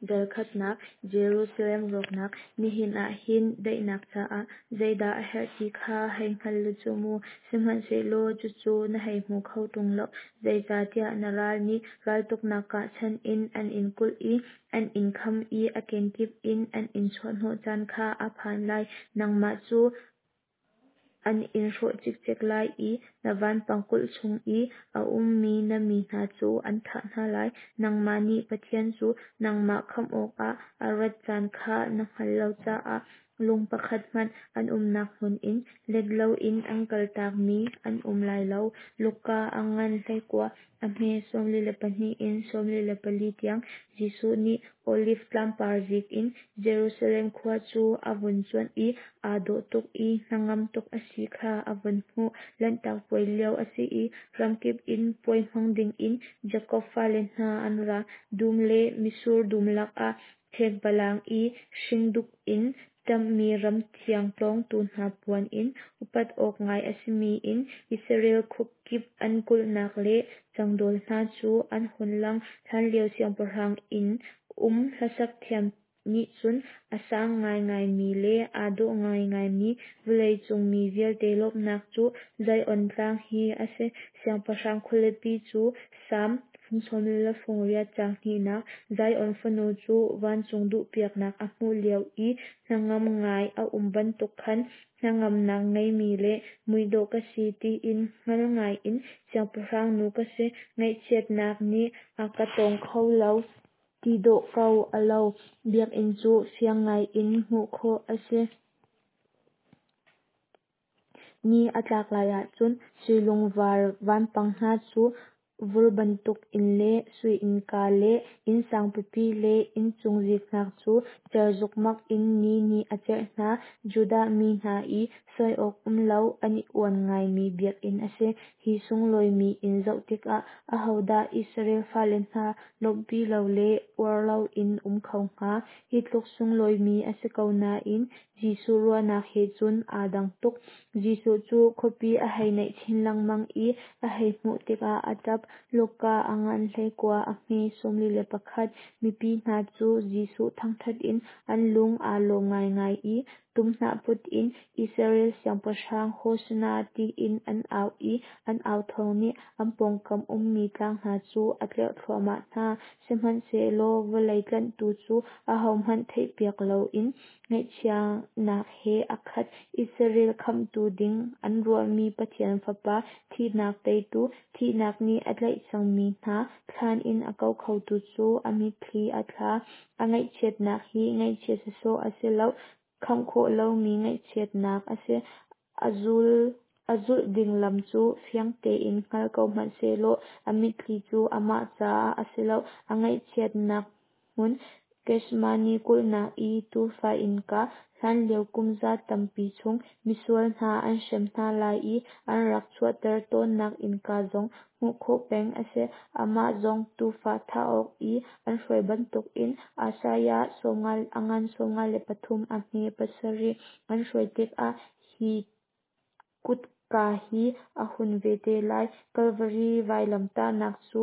Dal khatnak, Jerusalem rawknak. Nihin ah hin daihnak caah zeidah a herh ti kha hei hngal lu cu mu, sihmanhsehlaw cucu na hei hmu kho ṭung lo, zeicahtiah na ral nih raltuknak kahchan in an in kulh i an in kham i a kenkip in an in chuahhnawh caan kha a phan lai. Nangmah cu an in hrawh cikcek lai i na vanpang kulh chung i a ummi na mi hna cu an thah hna lai. Nangmah nih Pathian cu nangmah khamh awkah a rat caan kha na hngalh lo caah lung pakhat hmanh an umnak hmun in let loin an kaltakmi an um lai lo. Luka a ngan 19, a hme 42 in 44 tiang. Jesuh nih Oliv tlangpar zik in Jerusalem khua cu a vun cuanh i aa dawh tuk i hnangam tuk a si kha a vun hmuh. Lanhtak Puai lio a si i ramkip in puai hmang dingin Jakob fale hna an ra. Dum le mitsur dum lakah ṭhekpalang i hringduk in ṭamhmi ram thiang tlawngtu hna puan in upat awk ngai a simi in Israel khuakip an kulhnak le cangdawl hna cu an hun lang. Hlanlio siangpahrang inn um hlasak thiam nih cun a sang ngaingaimi le aa dawh ngaingaimi vawleicung mi vialte lawmhnak cu Zion Tlang hi a si. Siangpahrang khualipi cu Salm fung 18 caang hnihnak. Zion fanu cu vancung duhpiaknak a hmuh lio i hnangam ngai a um bantuk khan hnangamnak ngeimi le muidawh ka si tiin hngal ngaiin siangpahrang nu ka si, ngaihchiatnak nih a ka tawng kho lo ti dawh ko a lo. Biakinn cu fiang ngaiin hmuh khawh a si. Ni a tlak lai ahcun sui lungvar vanpang hna cu vur bantuk in le sui innka le inn sangpipi le inncung ziknak cu cer zukmak in ni nih a cerh hna. Judah mi hna i sawi awk um lo an i uan ngaimi biakinn a si. Hi sunglawimi inn zoh tikah ahodah Israel fale hna lawmhpi lo le uar loin um kho hnga? Hi tluk sunglawimi a si ko nain Jesuh ruahnak he cun aa dang tuk. Jesuh cu khuapi a hei naih chin lengmang i a hei hmuh tikah a ṭap. Luka a ngan 19, a hme 41. Mipi hna cu Jesuh thangṭhat in an lung aa lawm ngaingai i tumhnah put in Israel siangpahrang Hosana tiin an au i an au thawng nih an pawngkam ummi tlang hna cu a tlerh thluahmah hna. Sihmanhsehlaw vawlei tlanhtu cu ahohmanh theihpiak loin ngaihchiatnak he a khat. Israel khamhtu ding an ruahmi Pathian Fapa, thihnak teitu, thihnak nih a tlaih cangmi hna thlan in a ko khotu cu a mitthli a thla. A ngaihchiatnak hi ngaihchiat sawsawh a si lo, khamh khawh lomi ngaihchiatnak a si. A zul a zulh ding lam cu fiang tein hngal ko hmanh sehlaw a mitthli cu amah caah a si lo. A ngaihchiatnak hmun Gethsemane kulhnak i tuufa innka, hlanlio kumza tampi chung misual hna an hrem hna lai i an rak chuahter tawnnak innka zong hmuh khawh peng a si. Amah zong tuufa thah awk i an hruai bantukin Isaiah a ngan 53 a hme 7 an hruai tikah hi kutka hi a hun ve te lai. Kalvari vailamtahnak cu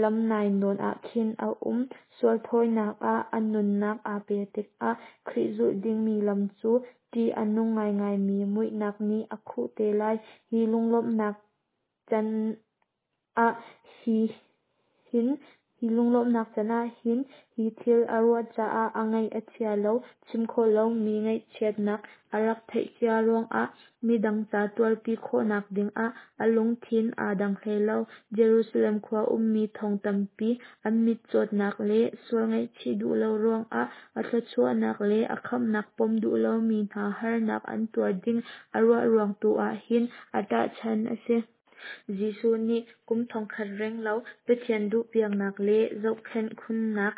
lam nainawn ah khin a um. Sual thawinak ah a nunnak aa pe tikah Khrih zulh dingmi lam cu ṭih a nung ngaingaimi muihnak nih a khuh te lai. Hi lunglawmhnak can ah hi hin Hi lunglawmhnak can ah hin hi thil a ruah caah a ngaih a chia lo, chim khawh lomi ngaihchiatnak a rak theih cia ruangah midang ca tuarpi khawhnak dingah a lungthin aa dang hlei lo. Jerusalem khua ummi thong tampi an mitcawtnak le sual ngaihchih duh lo ruangah a thluachuahnak le a khamhnak pom duh lomi hna harnak an tuar ding a ruah ruang tu ah hin a ṭahchan a si. Jesuh nih kum thongkhat renglo Pathian duhpiaknak le zohkhenh khunnak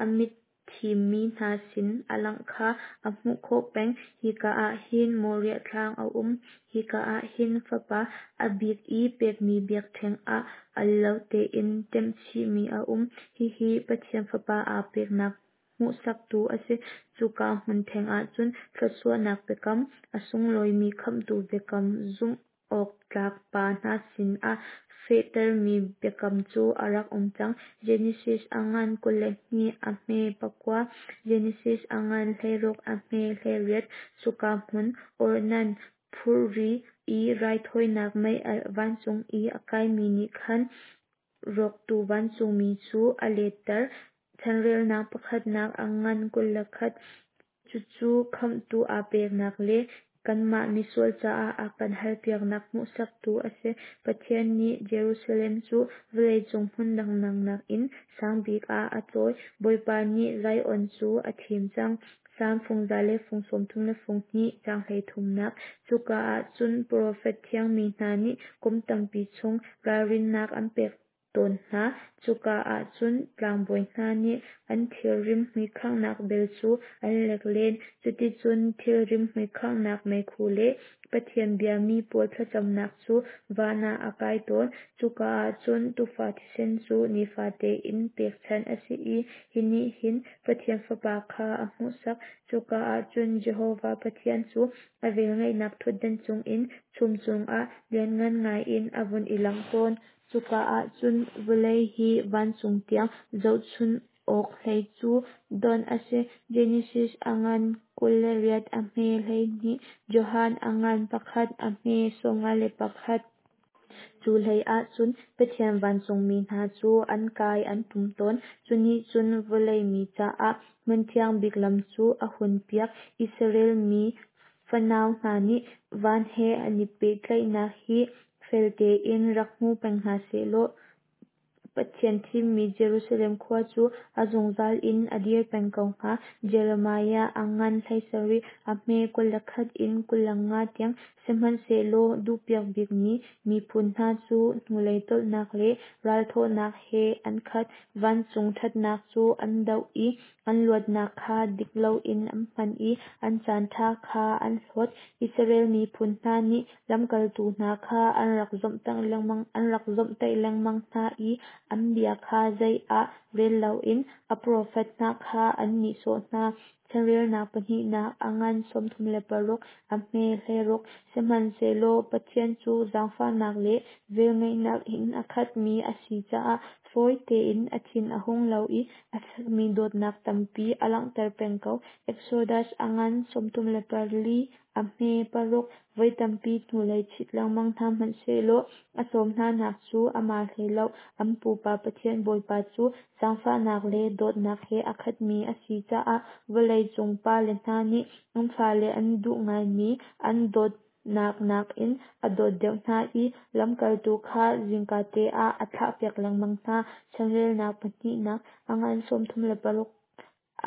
a mitthimmi hna sin a langh kha a hmuh khawh peng. Hika ah hin Moriah Tlang a um. Hika ah hin Fapa a bik i pekmi biakṭheng ah al lo tein ṭemchihmi a um. Hihi Pathian Fapa aa peknak hmuhsaktu a si. Cuka hmun theng ahcun thluachuahnak biakam, a sunglawimi khamhtu biakam, zumh awktlak pa hna sinah fehtermi biakam cu a rak um cang. Genesis a ngan 22 a hme 9, Genesis a ngan 16 a hme 18. Cuka hmun Ornan phurri i raithawinak meialh vancung i a kaimi nih khan rawktu vancungmi cu a letter. Chanrelnak pakhatnak a ngan 21. Cucu khamhtu aa peknak le kanmah misual caah a kan halpiaknak hmuhsaktu a si. Pathian nih Jerusalem cu vawleicung hmun dangdang nakin sang bik ah a cawi. Bawipa nih Zion cu a thim cang. Salm fung za le fung sawm thum le fung hnih caang 33nak. Cuka ah cun profet thiangmi hna nih kum tampi chung ralrinnak an pek tawn hna. Cuka ah cun tlangbawi hna nih an thil rimhmui khanghnak bel cu an lek len. Cuticun thil rimhmui khanghnak meikhu le Pathian biami pawl thlacamnak cu van ah a kai tawn. Cuka ah cun tuufa thisen cu nifate in pekchanh a si i hi nih hin Pathian Fapa kha a hmuhsak. Cuka ah cun Jehovah Pathian cu a velngeihnak ṭhutdan cungin chum cungah lianngan ngaiin a vun i langh tawn. Cuka ah cun vawlei hi vancung tiang zohchun awk hlei cu donh a si. Genesis a ngan 28 a hme 12, Johan a ngan 1 a hme 51. Cu hlei ah cun Pathian vancungmi hna cu an kai an ṭum tawn. Cu nih cun vawlei mi caah hmun thiang bik lam cu a hunpiak. Israel mi fanau hna nih van he an i pehtlaihnak hi fel tein rak hmu peng hna sehlaw Pathian thimmi Jerusalem khua cu a zungzal in a dir peng ko hnga. Jeremiah a ngan 17, a hme 21 in 25 tiang. Sihmanhsehlaw duhpiak bikmi miphun hna cu hnulei tolhnak le ralthawhnak he an khat. Vancung ṭhatnak cu an doh i an luatnak kha dik loin an hman i an caanṭha kha an hlawt. Israel miphun hna nih lamkaltu hna kha an rak zawmhtaih lengmang hna i an bia kha zei ah rel loin a profet hna kha an nihsawh hna. Chanrelnak pahnihnak a ngan 36, a hme 16. Sihmanhsehlaw Pathian cu zaangfahnak le velngeihnak in a khatmi a si caah fawi tein a thin a hung lo i a fekmi dawtnak tampi a langhter peng ko. Exodus a ngan 34, a hme 6. Voi tampi hnulei chit lengmang hna hmanh sehlaw a sawm hnanak cu amah hlei lo. An pupa Pathian Bawipa cu zaangfahnak le dawtnak he a khatmi a si caah vawlei cung pale hna nih an fale an duh ngaimi an dawtnak nakin a dawt deuh hna i lamkaltu kha zingkate ah a thlahpiak lengmang hna. Chanrelnak pahnihnak a ngan 36,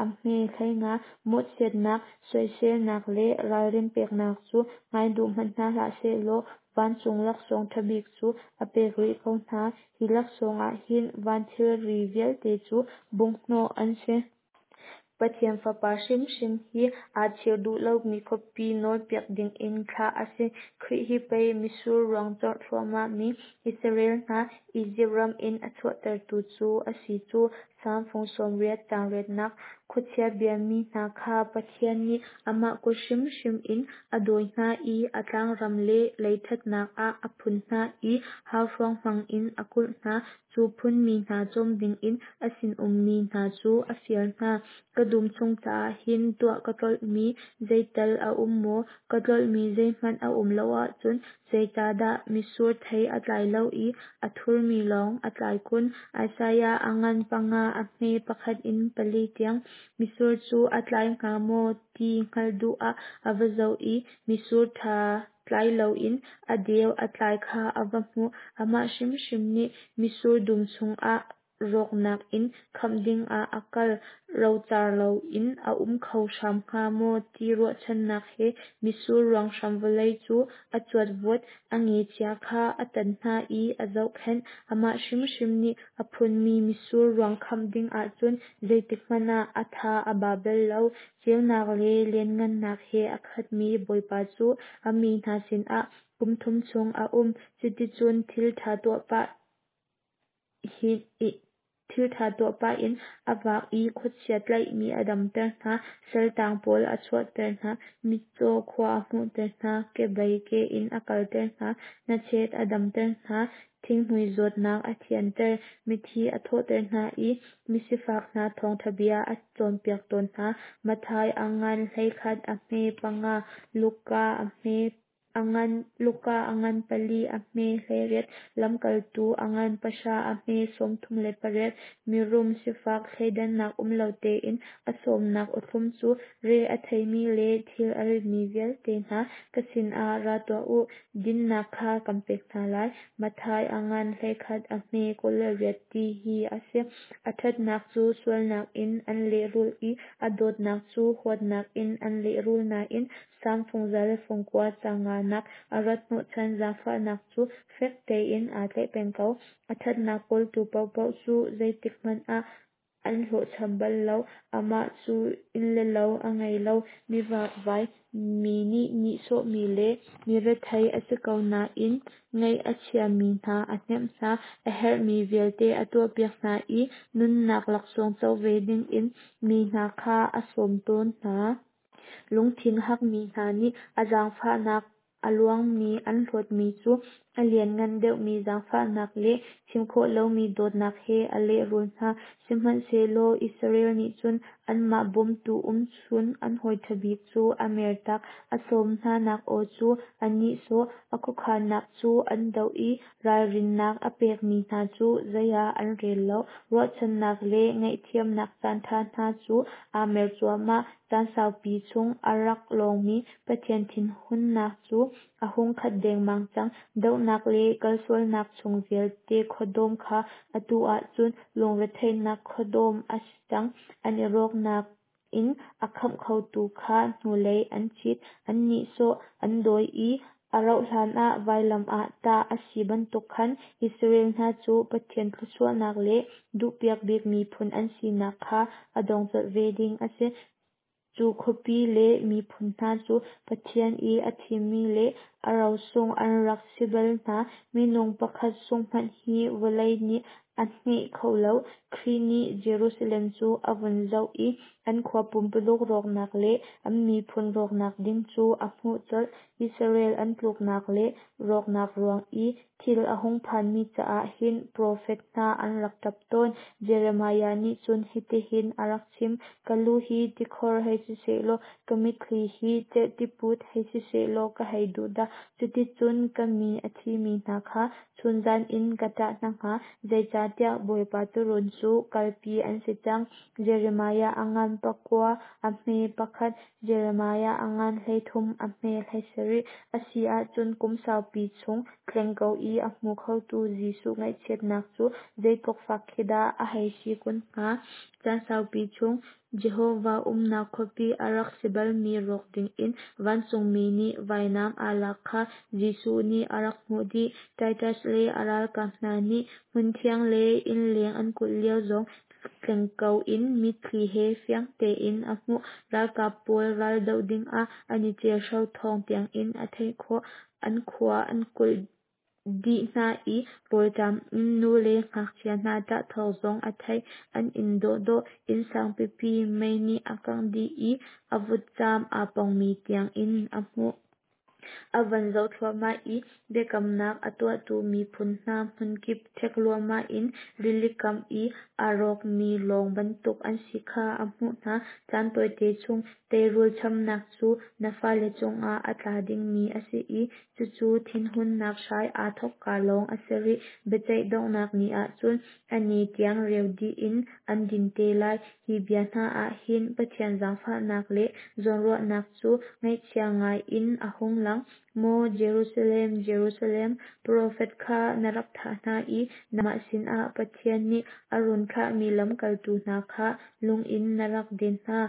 a hme 15. Mawhchiatnak, soiselnak le ralrin peknak cu ngai duh hmanh hna hlah sehlaw vancung laksawng ṭha bik cu a pek rih ko hna. Hi laksawng ah hin van thilri vialte cu bunghhnawh an si. Pathian Fapa hrimhrim hi aa chir duh lomi khuapi nawlpiak dingin thlah a si. Khrih hi pei mitsur ruang corh thluahmahmi Israel hna Izipt ram in a chuahtertu cu a si cu. Salm fung 80 caang riatnak. Khuachia biami hna kha Pathian nih amah kut hrimhrim in a dawi hna i a tlangram le leiṭhatnak ah a phun hna i hauhruang hmang in a kulh hna. Cu phunmi hna cawm dingin a sinummi hna cu a fial hna. Ka dum chung caah hin tuah ka tlolhmi zeital a um maw? Ka tlolhmi zeihmanh a um lo ahcun zeicahdah mitsur thei a tlai lo i a thurmi lawng a tlai kun? Isaiah a ngan 5 a hme 1 in 4 tiang. Mitsur cu a tlai hnga maw ti hngalh duh ah a va zoh i mitsur ṭha tlai loin a deu a tlai kha a va hmuh. Amah hrimhrim nih mitsur dum chungah rawknak in khamh dingah a kal. Rocar loin a um kho hram hnga maw ti ruahchannak he mitsur ruanghram vawlei cu a cuatvuat, a ngechia kha a tan hna i a zohkhenh. Amah hrimhrim nih a phunmi mitsur ruang khamh ding ahcun zeitikhmanh ah a tha a ba bal lo. Ceunak le lianhngannak he a khatmi Bawipa cu a mi hna sinah kum thum chung a um. Cuticun thil ṭha tuah pah Thilṭha tuah pah in a vak i khuachia tlaihmi a damter hna, saltang pawl a chuahter hna, mitcaw khua a hmuhter hna, kebei ke in a kalter hna, hnachet a damter hna, thinghmui zawtnak a thianter, mithi a thawhter hna i misifak hna thawngṭha bia a cawnpiak tawn hna. Matthai a ngan 11 a hme 5, Luka a hme a ngan Luka a ngan 4 a hme 18, Lamkaltu a ngan 10 a hme 38. Mirum sifak thleidannak um lo tein a sawmnak awthlum cu re a theimi le thil a ritmi vialte hna, ka sinah ra tuah u, dinhnak kha kan pek hna lai. Matthai a ngan 11 a hme 28 ti hi a si. A ṭhatnak cu sualnak in an lehrulh i a dawtnak cu huatnak in an lehrul nain Salm fung 109 caang nganak a rat hnawhchan zaangfahnak cu fek tein aa tlaih peng ko. A ṭhatnak kawltu paohpaoh cu zeitik hmanh ah an hlawhcham bal lo. Amah cu inn le lo a ngei lo, mi vakvai, mi nih nihsawhmi le mi rethei a si ko nain ngaih a chiami hna a hnemh hna, a herhmi vialte a tuahpiak hna i nunnak laksawng co ve dingin mi hna kha a sawm tawn hna. Lungthin hakmi hna nih a zaangfahnak a luangmi an hlawtmi cu a lianngan deuhmi zaangfahnak le chim khawh lomi dawtnak he a lehrul hna. Sihmanhsehlaw Israel nih cun anmah bawmtu umchun an hawi ṭha bik cu a mertak, a sawm hnanak aw cu a nihsawh, a khuakhannak cu an doh i ralrinnak a pekmi hna cu zei ah an rel lo. Ruahchannak le ngaihthiamnak caanṭha hna cu aa mer cuahmah. Caan saupi chung a rak lawngmi Pathian thinhunnak cu a hung khat dengmang cang. Dohnak le kalsualnak chung vialte khuadawm kha atu ah cun lungretheihnak khuadawm a si cang. An i rawknak in a khamh khotu kha hnulei an chit, an nihsawh, an dawi i a rauhhlan ah vailam ah tah a si bantuk khan Israel hna cu Pathian thluachuahnak le duhpiak bik miphun an sinak kha a dong colh ve ding a si. Cu khuapi le miphun hna cu Pathian i a thimmi le a rosung an rak si bal hna. Minung pakhat sungh hmanh hi vawlei nih a hne kho lo. Khrih nih Jerusalem cu a vun zoh i an khua pumpuluk rawknak le an miphun rawknak ding cu a hmuh colh. Israel an tluknak le rawknak ruang i thil a hung phanmi caah hin profet hna an rak ṭap tawn. Jeremiah nih cun hitihin a rak chim: Ka lu hi tikhor hei si sehlaw, ka mitthli hi cerhtiput hei si sehlaw ka hei duh dah! Cuticun ka mi a thimi hna kha chunzan in ka ṭah hna hnga, zeicahtiah Bawipa tuurun cu kalpi an si cang. Jeremiah a ngan 9, a hme 1, Jeremiah a ngan 13, a hme 17. A si ahcun kum saupi chung tleng ko i a hmu khotu Jesuh ngaihchiatnak cu zeitluk fak khi dah a hei si kun hnga. Caan saupi chung Jehovah umnak khuapi a rak si balmi rawk dingin vancungmi nih vainam aa lak kha Jesuh nih a rak hmuh dih. Titus le a ralkap hna nih hmunthiang le innleng an kulh lio zong tleng ko in mitthli he fiang tein a hmuh. Ralkap pawl ral doh dingah an i celhro thawng tiangin a theih khawh. An khua an kulh dih hna i rawlṭam in nu le ngakchia hna ṭah thawng zong a theih. An inn dawhdawh, inn sangpipi mei nih a kangh dih i a vutcam aa pongmi tiangin a hmuh. A van zoh thluahmah i biakamnak a tuahtu miphun hna hmunkip ṭhek luahmah in rilikam i aa rawkmi lawng bantuk an si kha a hmuh hna. Caan tawite chung teirul chamnak cu na fale cungah a tla dingmi a si i cucu thinhunnak hrai aa thawkka lawng a si rih. Biaceih donghnak ni ah cun a ni tiang reu dih in an din te lai. Hi bia hna ah hin Pathian zaangfahnak le zawnruahnak cu ngaihchia ngai in a hung lang. Maw Jerusalem, Jerusalem, profet kha na rak thah hna i nangmah sinah Pathian nih a run thlahmi lamkaltu hna kha lung in na rak den hna.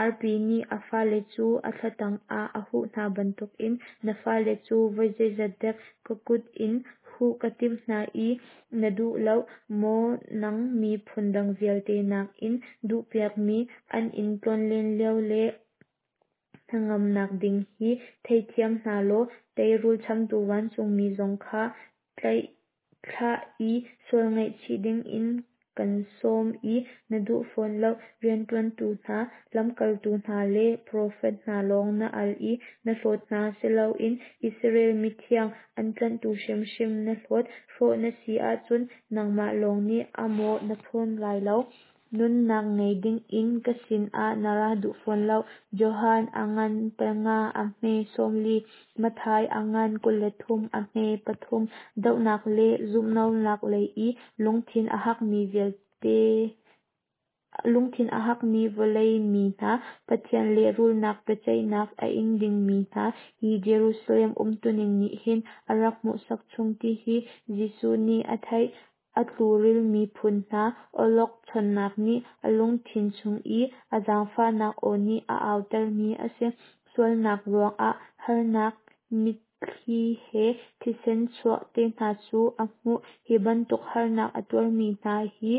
Arpi nih a fale cu a thla tangah a huh hna bantukin na fale cu voi zeizat dek ka kut in huh ka timh hna i na duh lo. Maw nang miphun dang vialte nakin duhpiakmi, an in tlawnlen lio le hnangamnak ding hi theithiam hna law teirul chamtu vancungmi zong kha tlaihthlah i sual ngaihchih dingin Kan sawm i na duh fawn lo. Rianṭuantu hna, lamkaltu hna le profet hna lawng na al i na hlawt hna si loin Israel Mithiang an tlanhtu hrimhrim na hlawt. Hrawh na si ahcun nangmah lawng nih a mawh na phur lai lo. Nunnak ngei dingin ka sinah na ra duh fawn lo. Johan a ngan 5 a hme 40, Matthai a ngan 23 a hme 3. Dohnak le zumhlonak lei i lungthin a hakmi vialte lungthin a hakmi vawlei mi hna, Pathian lehrulnak biaceihnak a ing dingmi hna, hi Jerusalem umtuning nih hin a rak hmuhsak chung ti hi Jesuh nih a theih. A tlukrilmi phun hna awlokchonnak nih a lungthin chung i a zaangfahnak aw nih a autermi a si. Sualnak ruangah harnak, mitthli he thisen chuah te hna cu a hmuh. Hi bantuk harnak a tuarmi hna hi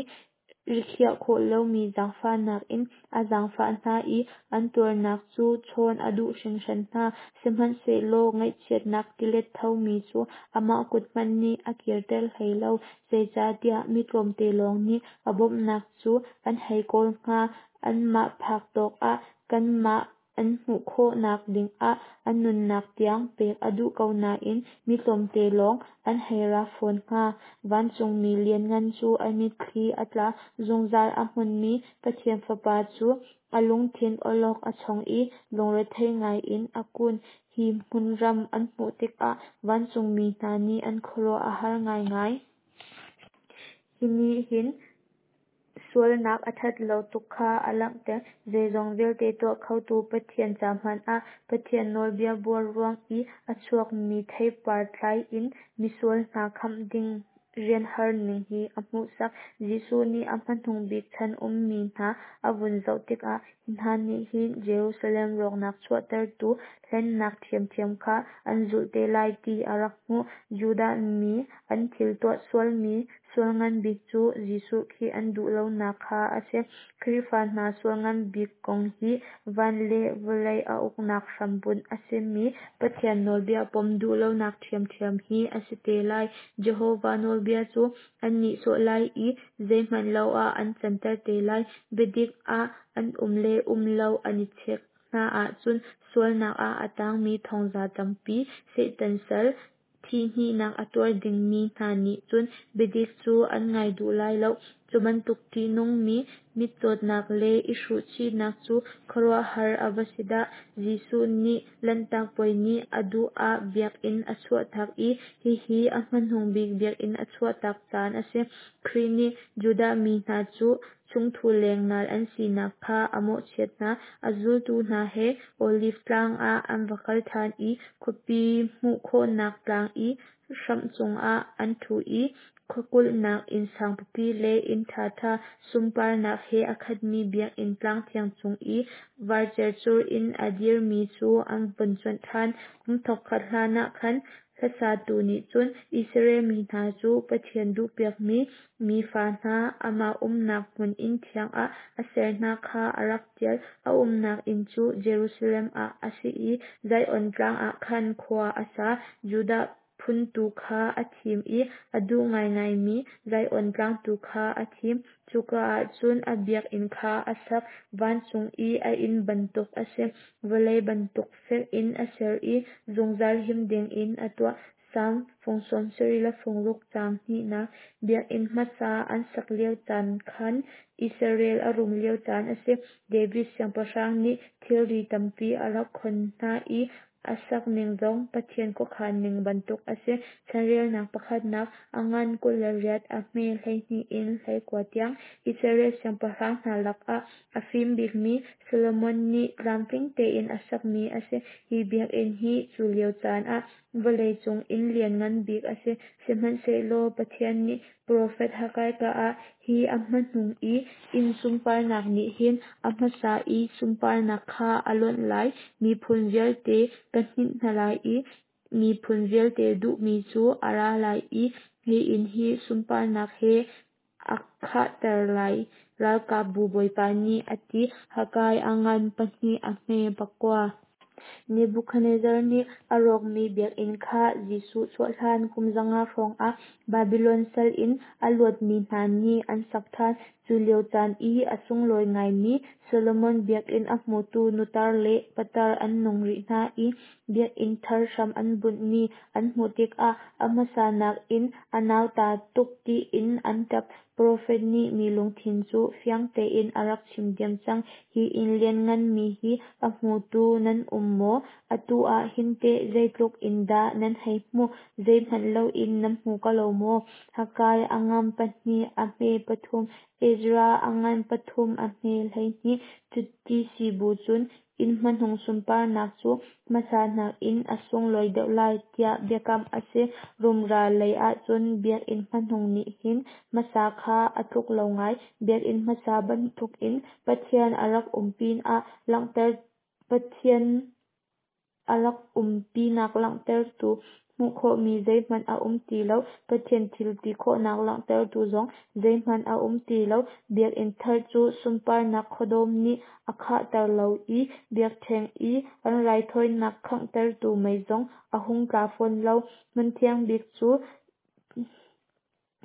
rikhiah khawh lomi zaangfahnak in a zaangfah hna i an tuarnak cu chawn a duh hringhran hna. Sihmanhsehlaw ngaihchiatnak tilet thomi cu amah kut hmanh nih a kirter hlei lo. Zeicahtiah mi tlawmte lawng nih a bawmhnak cu an hei kawl hnga, anmah phak tawk ah kanmah an hmuh khawhnak dingah an nunnak tiang pek a duh ko nain mi tlawmte lawng an hei ra fawn hnga. Vancungmi lianngan cu a mitthli a tla, zungzal a hmunmi Pathian Fapa cu a lungthin awlok a chong i lungrethei ngaiin a kun. Hi hmunram an hmuh tikah vancungmi hna nih an khuaruah a har ngaingai. Hi nih hin sualnak a ṭhat lo tuk kha a langhter. Zeizong vialte tuah khotu Pathian ca hmanh ah Pathian nawlbia buar ruang i a chuakmi theipar tlai in misual hna khamh ding rian har ning hi a hmuhsak. Jesuh nih a hmanung bik chan ummi hna a vun zoh tikah hi hna nih hin Jerusalem rawknak chuahtertu hlennak ṭhiamṭhiam kha an zulh te lai ti a rak hmuh. Judah mi an thil tuah sualmi sual ngan bik cu Jesuh Khrih an duh lonak kha a si. Khrihfa hna sual ngan bik kong hi van le vawlei a uknak hrambunh a simi Pathian nawlbia pom duh lonak ṭhiamṭhiam hi a si te lai. Jehovah nawlbia cu an nihsawh lai i zeihmanh lo ah an canter te lai. Biadik ah an um le um lo an i chek hna ahcun sualnak ah a tangmi thongza tampi Satan sal thihhnihnak a tuar dingmi hna nih cun biadik cu an ngai duh lai lo. Cu bantuk ṭihnungmi mitcawtnak le i hruhchihnak cu khuaruahhar a va si dah! Jesuh nih Lanhtak Puai ni a duh ah biakinn a chuahtak i hihi a hmanung bik biakinn a chuahtak caan a si. Khrih nih Judah mi hna cu chungthu lengnal an sinak kha a mawhchiat hna. A zultu hna he Oliv Tlang ah an va kal ṭhan i khuapi hmuh khawhnak tlang i hramh cungah an ṭhu i khuakulhnak inn sangpipi le inn ṭhaṭha sunparnak he a khatmi biakinn tlang thiang cung i var cercur in a dirmi cu an vun cuanh ṭhan. Kum thongkhat hlanah khan hlasatu nih cun Israel mi hna cu Pathian duhpiakmi mi fa hna, amah umnak hmun inn thiang ah a ser hna kha a rak ṭial. A umnak inn cu Jerusalem ah a si i Zion Tlang ah khan khua a sa. Judah phun tu kha a thim i a duh ngaingaimi Zion Tlang tu kha a thim. Cuka ah cun a biakinn kha a sak. Vancung i a inn bantuk a si. Vawlei bantuk fek in a ser i zungzal him dingin a tuah. Salm fung 76 le fung ruk caang hnihnak. Biakinn hmasa an sak lio caan khan Israel a rum lio caan a si. David siangpahrang nih thilri tampi a rak khon hna i a sak ning zong Pathian khuakhan ning bantuk a si. Chanrelnak pakhatnak, a ngan 28, a hme 12 in 19 tiang. Israel siangpahrang hna lakah a fim bikmi Solomon nih tlamtling tein a sakmi a si. Hi biakinn hi cu lio caan ah vawleicung inn lianngan bik a si. Sihmanhsehlaw Pathian nih profet Haggai ka ah, Hi a hmanung i inn sunparnak nih hin a hmasa i sunparnak kha a lonh lai. Miphun vialte ka hninh hna lai i miphun vialte duhmi cu a ra lai i hi inn hi sunparnak he a khahter lai, ralkapbu Bawipa nih a ti. Haggai a ngan pahnih, a hme pakua. Nebuchadnezzar nih a rawkmi biakinn kha Jesuh chuah hlan kum 500 hrawng ah Babilon sal in a luatmi hna nih an sak ṭhan. Cu lio caan i a sunglawi ngaimi Solomon biakinn a hmutu nutar le patar an nung rih hna i biakinn thar hram an bunhmi an hmuh tikah a hmasa nakin a nauta tuk tiin an ṭap. Profet nih mi lungthin cu fiang tein a rak chim diam cang. Hi inn liannganmi hi a hmutu nan um maw? Atu ah hin teh zeitluk in dah nan hei hmuh? Zeihmanh loin nan hmu ko lo maw? Haggai a ngan pahnih a hme pathum, Ezra a ngan pathum a hme 12. Cuti si bu cun inn hmanung sunparnak cu hmasa nakin a sunglawi deuh lai, tiah biakamh a si. Rumra lei ahcun biakinn hmanung nih hin hmasa kha a tluk lo ngai. Biakinn hmasa bantukin Pathian a rak um pinah langhter Pathian a rak umpinak langhtertu hmuh khawhmi zeihmanh a um ti lo. Pathian thil ti khawhnak langhtertu zong zeihmanh a um ti lo. Biakinn thar cu sunparnak khuadawm nih a khahter lo i biakṭheng i an raithawinak khanghtertu mei zong a hung tla fawn lo. Hmun thiang bik cu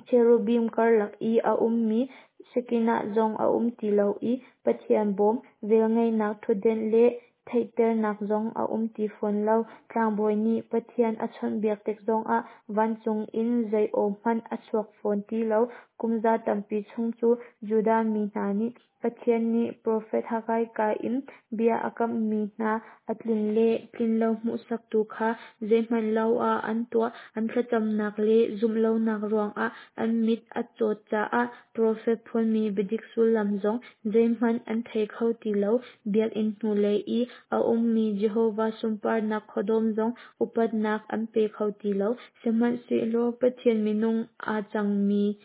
cherubim karlak i a ummi Shekinah zong a um ti lo i Pathian bawm, velngeihnak ṭhutdenh le theihternak zong a um ti fawn lo. Tlangbawi nih Pathian a chawnhbiak tik zongah vancung in zei aw hmanh a chuak fawn ti lo. Kum za tampi chung cu Judah mi hna nih Pathian nih profet Haggai kaa in bia a kamhmi hna a tlin le tlinlo hmuhsaktu kha zeihmanh lo ah an tuah. An thlacamnak le zumh lonak ruangah an mit a cawt caah profet phuanmi biadik sullam zong zeihmanh an thei kho ti lo. Biakinn hnulei i a ummi Jehovah sunparnak khuadawm zong upatnak an pe kho ti lo. Sihmanhsehlaw Pathian minung aa cangmi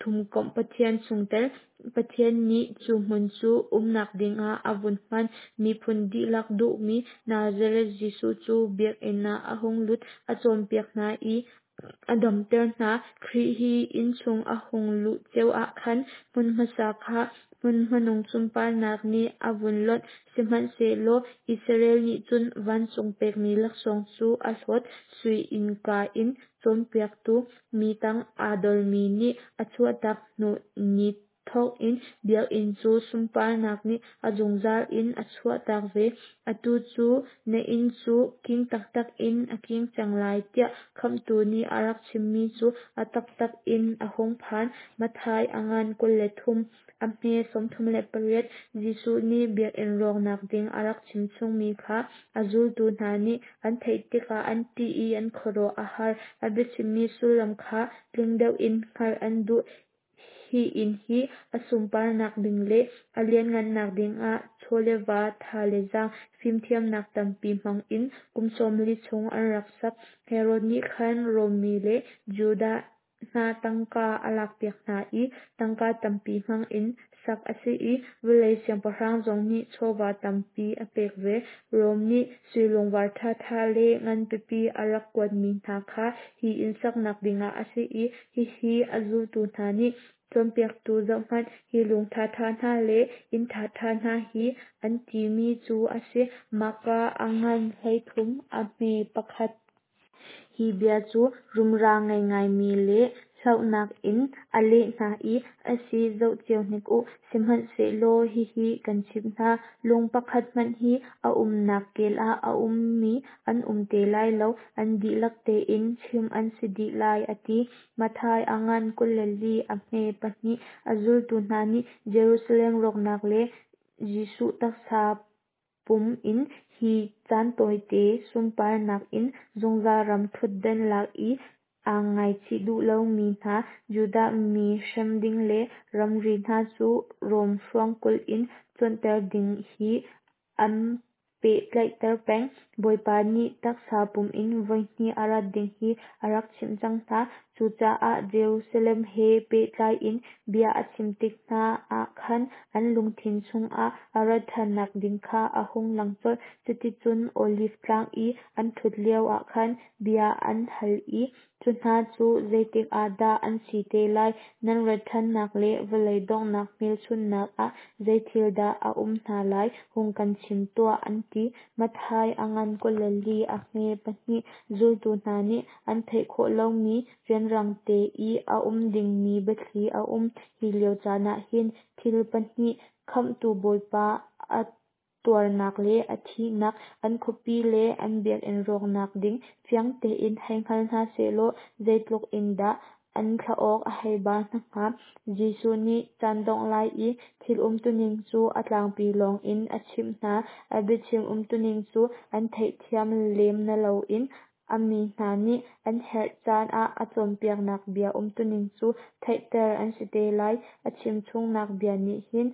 Thumkomh Pathian chungtel Pathian nih cu hmun cu umnak dingah a vun hman. Miphun dihlak duhmi Nazareth Jesuh cu biakinn ah a hung lut, a cawnpiak hna i a damter hna. Khrih hi inn chung a hung luh ceo ah khan hmun hmasa kha hmun hmanung sunparnak nih a vun lonh. Sihmanhsehlaw Israel nih cun vancung pekmi laksawng cu a hlawt. Sui innka in cawnpiaktu mi tang aa dormi nih a chuahtak hnu ni thawk in biakinn cu sunparnak nih a zungzal in a chuahtak ve. Atu cu na inn cu king taktak in a king cang lai, tiah Khamhtu nih a rak chimmi cu a taktak in a hung phan. Matthai a ngan 23, a hme 38. Jesuh nih biakinn rawknak ding a rak chimchungmi kha a zultu hna nih an theih tikah an ṭih i an khuaruah a har. A biachimmi sullam kha tling deuh in hngalh an duh. Hi inn hi a sunparnak ding le a lianhngannak dingah chaw le va, tha le zaang, fimthiamnak tampi hmang in kum 40 chung an rak sak. Herod nih khan Rom mi le Judah hna tangka a lakpiak hna i tangka tampi hmang in sak a si i vawlei siangpahrang zong nih chawva tampi a pek ve. Rom nih sui lungvar ṭhaṭha le nganpipi a rak kuatmi hna kha hi inn saknak dingah a si i hihi a zultu hna nih cawnpiaktu zohhmanh, hi lung ṭhaṭha hna le inn ṭhaṭha hna hi an timi cu a si. Mahka a ngan 13, a hme pakhat. Hi bia cu rumra ngei ngaimi le hlauhnak in a leh hna i, A si, zoh cio hnik u, sihmanhsehlaw hihi kan chimh hna, lung pakhat hmanh hi a umnak kel ah a ummi an um te lai lo, an dihlak tein chimh an si dih lai, a ti. Matthai a ngan 24, a hme pahnih. A zultu hna nih Jerusalem rawknak le Jesuh taksa pum in hi caan tawite sunparnak in zungzal ram ṭhutdan lak i aa ngaichih duh lomi hna Judah mi hrem ding le ramri hna cu Rom hruangkulh in cuanter ding he an pehtlaihter peng. Bawipa nih taksa pum in voihnih a rat ding hi a rak chimh cang hna. Cucaah Jerusalem he pehtlai in bia a chim tik hna ah khan an lungthin chungah a rat ṭhannak ding kha a hung lang colh. Cuticun Oliv tlang i an ṭhut lioah khan bia an hal i. Cu hna cu zeitik ah dah an si te lai? Nan rat ṭhannak le vawlei donghnak hmelchunhnak ah zei thil dah a um hna lai, hung kan chim tuah, an ti. Matthai a ngan 24 a hme 2. Zultu hna nih an theih khawh lomi rianrang te i a um dingmi biathli a um. Hi lio caan ah hin thil pahnih, Khamhtu Bawipa a tuarnak le a thihnak, an khuapi le an biakinn rawknak ding fiang tein hei hngal hna sehlaw zeitluk in dah an thlaawk a hei ba hna hnga. Jesuh nih caan dongh lai i thil umtuning cu a tlangpi lawng in a chimh hna. A biachim umtuning cu an theihthiam lem na loin a mi hna nih an herh caan ah a cawnpiaknak bia umtuning cu theihter an si te lai. A chimchungnak bia nih hin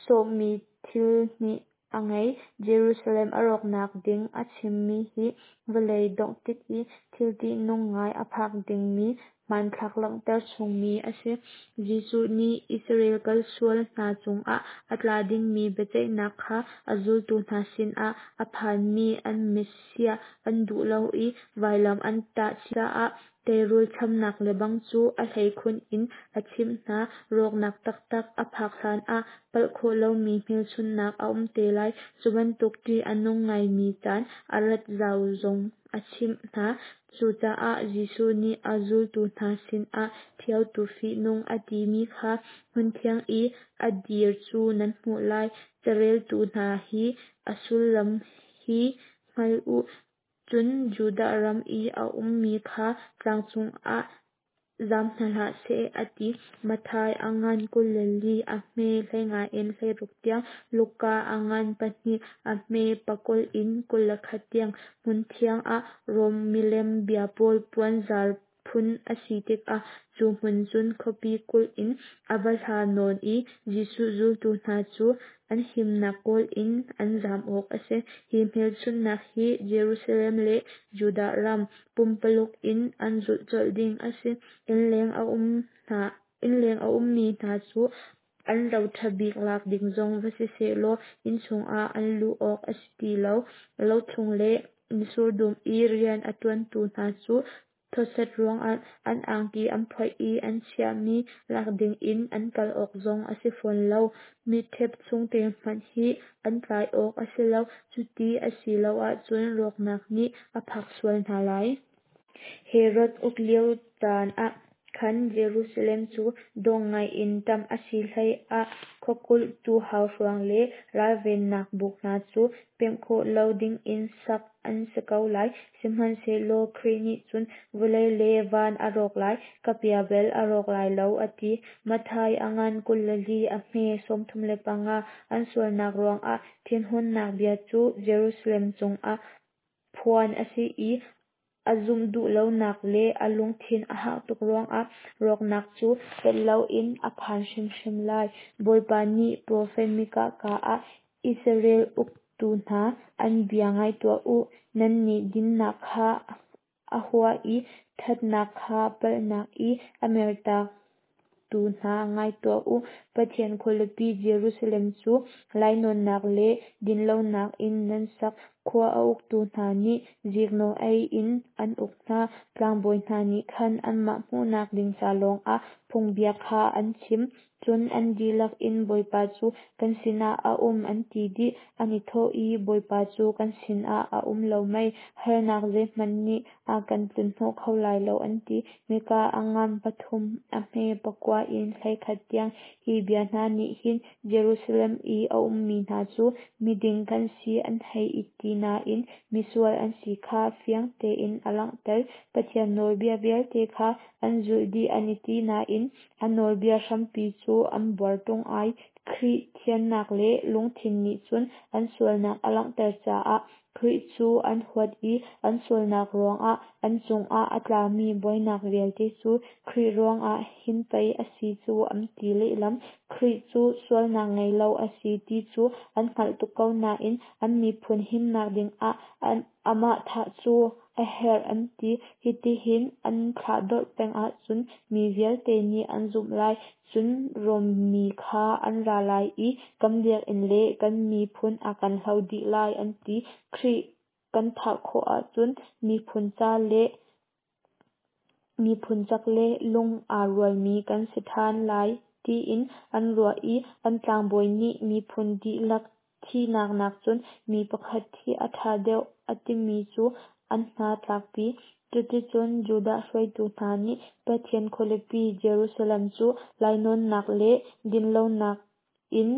sawhmi thil hnih a ngei. Jerusalem a rawknak ding a chimmi hi vawlei dongh tik i thil ṭihnung ngai a phak dingmi hmanthlak langhter chungmi a si. Jesuh nih Israel kalsual hna cungah a tla dingmi biaceihnak kha a zultu hna sinah a phanmi an Messiah an duh lo i vailam an tah caah teirul chamnak lebang cu a hleikhun in a chimh hna. Rawknak taktak a phak hlanah palh khawh lomi hmelchunhnak a um te lai. Cu bantuk ṭih a nung ngaimi caan a rat zau zong a chimh hna. Cucaah Jesuh nih a zultu hna sinah ṭhiotu fihnung a timi kha hmunthiang i a dir cu nan hmuh lai. Careltu hna hi a sullam hi hngal u. Cun Judah ram i a ummi kha tlang cungah zam hna hlah seh, a ti. Matthai a ngan 24 a hme 15 in 16 tiang, Luka a ngan 2 a hme 20 in 21 tiang. Hmunthiang ah Rom milem bia pawl puanzar phun a si tikah cu hmun cun khuapi kulh in a va hla nawn i Jesuh zultu hna cu an himnak kawl in an zam awk a si. Hi hmelchunhnak hi Jerusalem le Judah ram pumpaluk in an zulh colh ding a si. Innleng a ummi hna cu an ro ṭha bik lak ding zong va si sehlaw inn chungah an luh awk a si ti lo. Lo chung le mitsur dum i rian a ṭuantu hna cu thawset ruangah an angki an phoih i an chiahmi lak dingin an kal awk zong a si fawn lo. Mitṭhep chungte hmanh hi an tlai awk a si lo. Cuti a si lo ahcun rawknak nih a phak sual hna lai. Herod uk lio caan ah khan Jerusalem cu dawh ngaiin ṭamh a si hleiah khuakulhtu hauhruang le ralvennak buk hna cu pemh khawh lo dingin sak an si ko lai. Sihmanhsehlaw Khrih nih cun vawlei le van a rawk lai, ka bia bel a rawk lai lo, a ti. Matthai a ngan 24 a hme 35. An sualnak ruangah thinhunnak bia cu Jerusalem cungah phuan a si i a zumh duh lonak le a lungthin a hak tuk ruangah rawknak cu pelh loin a phan hrimhrim lai. Bawipa nih profet Mikah kaa ah Israel uktu hna, an bia ngai tuah u. Nannih dinnak kha a hua i ṭhatnak kha palhnak i a mertaktu hna ngai tuah u. Pathian khualipi Jerusalem cu lainawnnak le dinlonak in nan sak. Khua a uktu hna nih ziknawh ei in an uk hna. Tlangbawi hna nih khan anmah hmuhnak ding ca lawngah phungbia kha an chim. Cun an dihlak in Bawipa cu kan sinah a um an ti dih. An i thawh i, Bawipa cu kan sinah a um lo mei? Harnak zeihmanh nih a kan tlunhnawh kho lai lo, an ti. Mikah a ngan 3 a hme 9 in 11 tiang. Hi bia hna nih hin Jerusalem i a ummi hna cu miding kan si an hei i ti nain misual an si kha fiang tein a langhter. Pathian nawlbia vialte kha an zulh dih an i ti nain a nawlbia hrampi cu an buar ṭung ai. Khrih thiannak le lungthin nih cun an sualnak a langhter caah Khrih cu an huat i an sualnak ruangah an cungah a tlami buainak vialte cu Khrih ruangah hin pei a si cu an ti lehlam. Khrih cu sualnak ngei lo a si ti cu an hngalh tuk ko nain an miphun himnak dingah amah thah cu a herh an ti. Hitihin an thlahdorh peng ahcun mi vialte nih an zumh lai. Cun Rom mi kha an ra lai i kan biakinn le kan miphun a kan hlo dih lai, an ti. Khrih kan thah khawh ahcun miphun ca le. Miphun cak le lung aa rualmi kan si ṭhan lai tiin an ruah i an tlangbawi nih miphun dihlak thihnak nakcun mi pakhat thih a ṭha deuh a timi cu an hna tlakpi. Cuticun Judah hruaitu hna nih Pathian khualipi Jerusalem cu lainawnnak le dinlonak in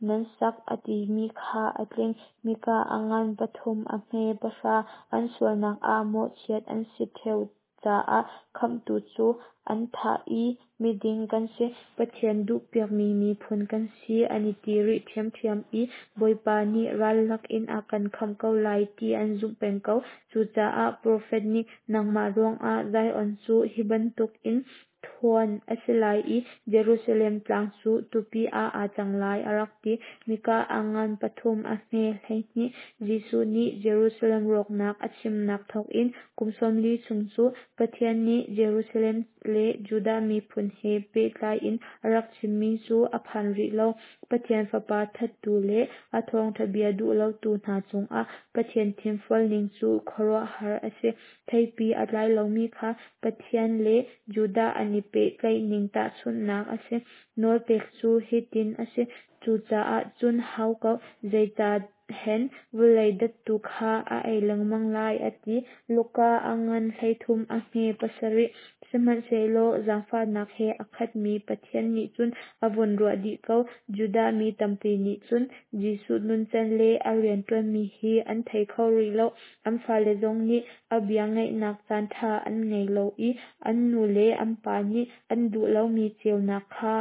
nan sak a timi kha a tling. Mikah a ngan pathum a hme pahra. An sualnak ah mawhchiat an si ṭheo caah Khamhtu cu an thah i miding kan si, Pathian duhpiakmi miphun kan si an i ti rih ṭhiamṭhiam i Bawipa nih ral lakin a kan khamh ko lai ti an zumh peng ko. Cucaah profet nih, Nangmah ruangah Zion cu hi bantukin thuan a si lai i Jerusalem tlang cu tupi ah aa cang lai, a rak ti. Mikah a ngan pathum a hme 12. Jesuh nih Jerusalem rawknak a chimnak thawkin kum 40 chung cu Pathian nih Jerusalem le Judah miphun he pehtlai in a rak chimmi cu a phan rih lo. Pathian Fapa thattu le a thawngṭha bia duh lotu hna cungah Pathian thinfual ning cu khuaruahhar a si. Theipi a tlai lomi kha Pathian le Judah an i pehtlaih ning tahchunhnak a si. Nawlpek cu hitin a si: Cucaah cun hau ko, zeicah hen vawlei dattu kha a ei lengmang lai, a ti. Luka a ngan 13 a hme pasarih. Sihmanhsehlaw zaangfahnak he a khatmi Pathian nih cun a vun ruah dih ko. Judah mi tampi nih cun Jesuh nuncan le a rianṭuanmi hi an thei kho rih lo. An fale zong nih a bia ngaihnak caanṭha an ngei lo i an nu le an pa nih an duh lomi ceunak kha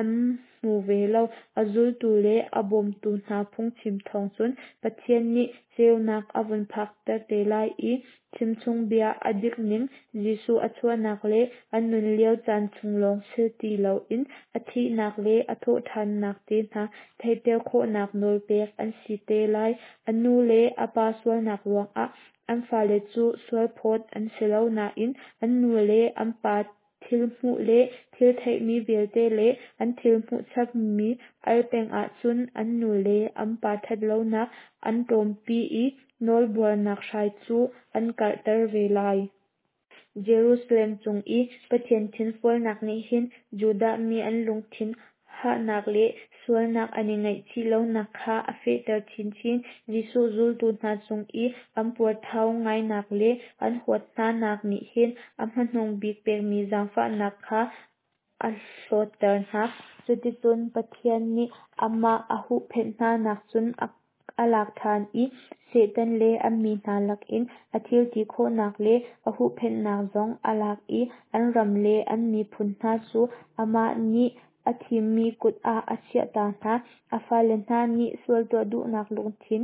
an hmu ve lo. A zultu le a bawmtu hna phungchim thawng cun Pathian nih ceunak a vun phakter te lai i chimchungbia a dik ning, Jesuh a chuahnak le a nun lio caan chung lawng si ti loin a thihnak le a thawhṭhannak te hna theihter khawhnak nawl pek an si te lai. A nu le a pa sualnak ruangah an fale cu sualphawt an si lo nain an nu le an pa thil hmuh le thil theihmi vialte le an thil hmuh chapmi al peng ahcun an nu le an pa ṭhatlonak an ṭawmpi i nawlbuarnak hrai cu an karhter ve lai. Jerusalem cung i Pathian thinfualnak nih hin Judah mi an lungthin hahnak le sualnak an i ngaihchih lonak kha a fehter chinchin. Jesuh zultu hna cung i an puarthau ngainak le an huat hnanak nih hin a hmanung bik pekmi zaangfahnak kha a hlawtter hna. Cuticun Pathian nih amah a huhphenh hnanak cun a lak ṭhan i Satan le a mi hna lakin a thil ti khawhnak le a huhphenhnak zong a lak i an ram le an miphun hna cu amah nih a thimmi kut ah a chiahta hna. A fale hna nih sual tuah duhnak lungthin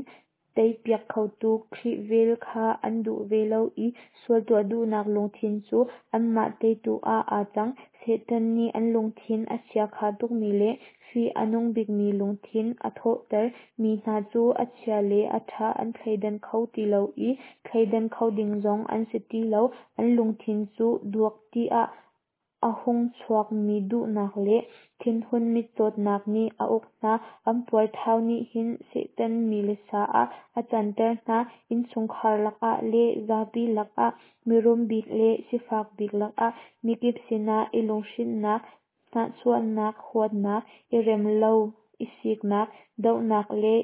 teipiak khotu Khrih vel kha an duh ve lo i sual tuah duhnak lungthin cu anmah teitu ah aa cang. Satan nih an lungthin a chiakha tukmi le fih a nung bikmi lungthin a thawhter mi hna cu a chia le a ṭha an thleidan kho ti lo i thleidan kho ding zong an si ti lo. An lungthin cu duak tiah a hung chuakmi duhnak le thinhun mitcawtnak nih a uk hna. An puarthau nih hin Satan mi le sa ah a canter hna. Innchungkhar lakah le zapi lakah, mirum bik le sifak bik lakah, mikip sinah i lunghrinhnak, hnahchuahnak, huatnak, i rem lo, i siknak, dohnak le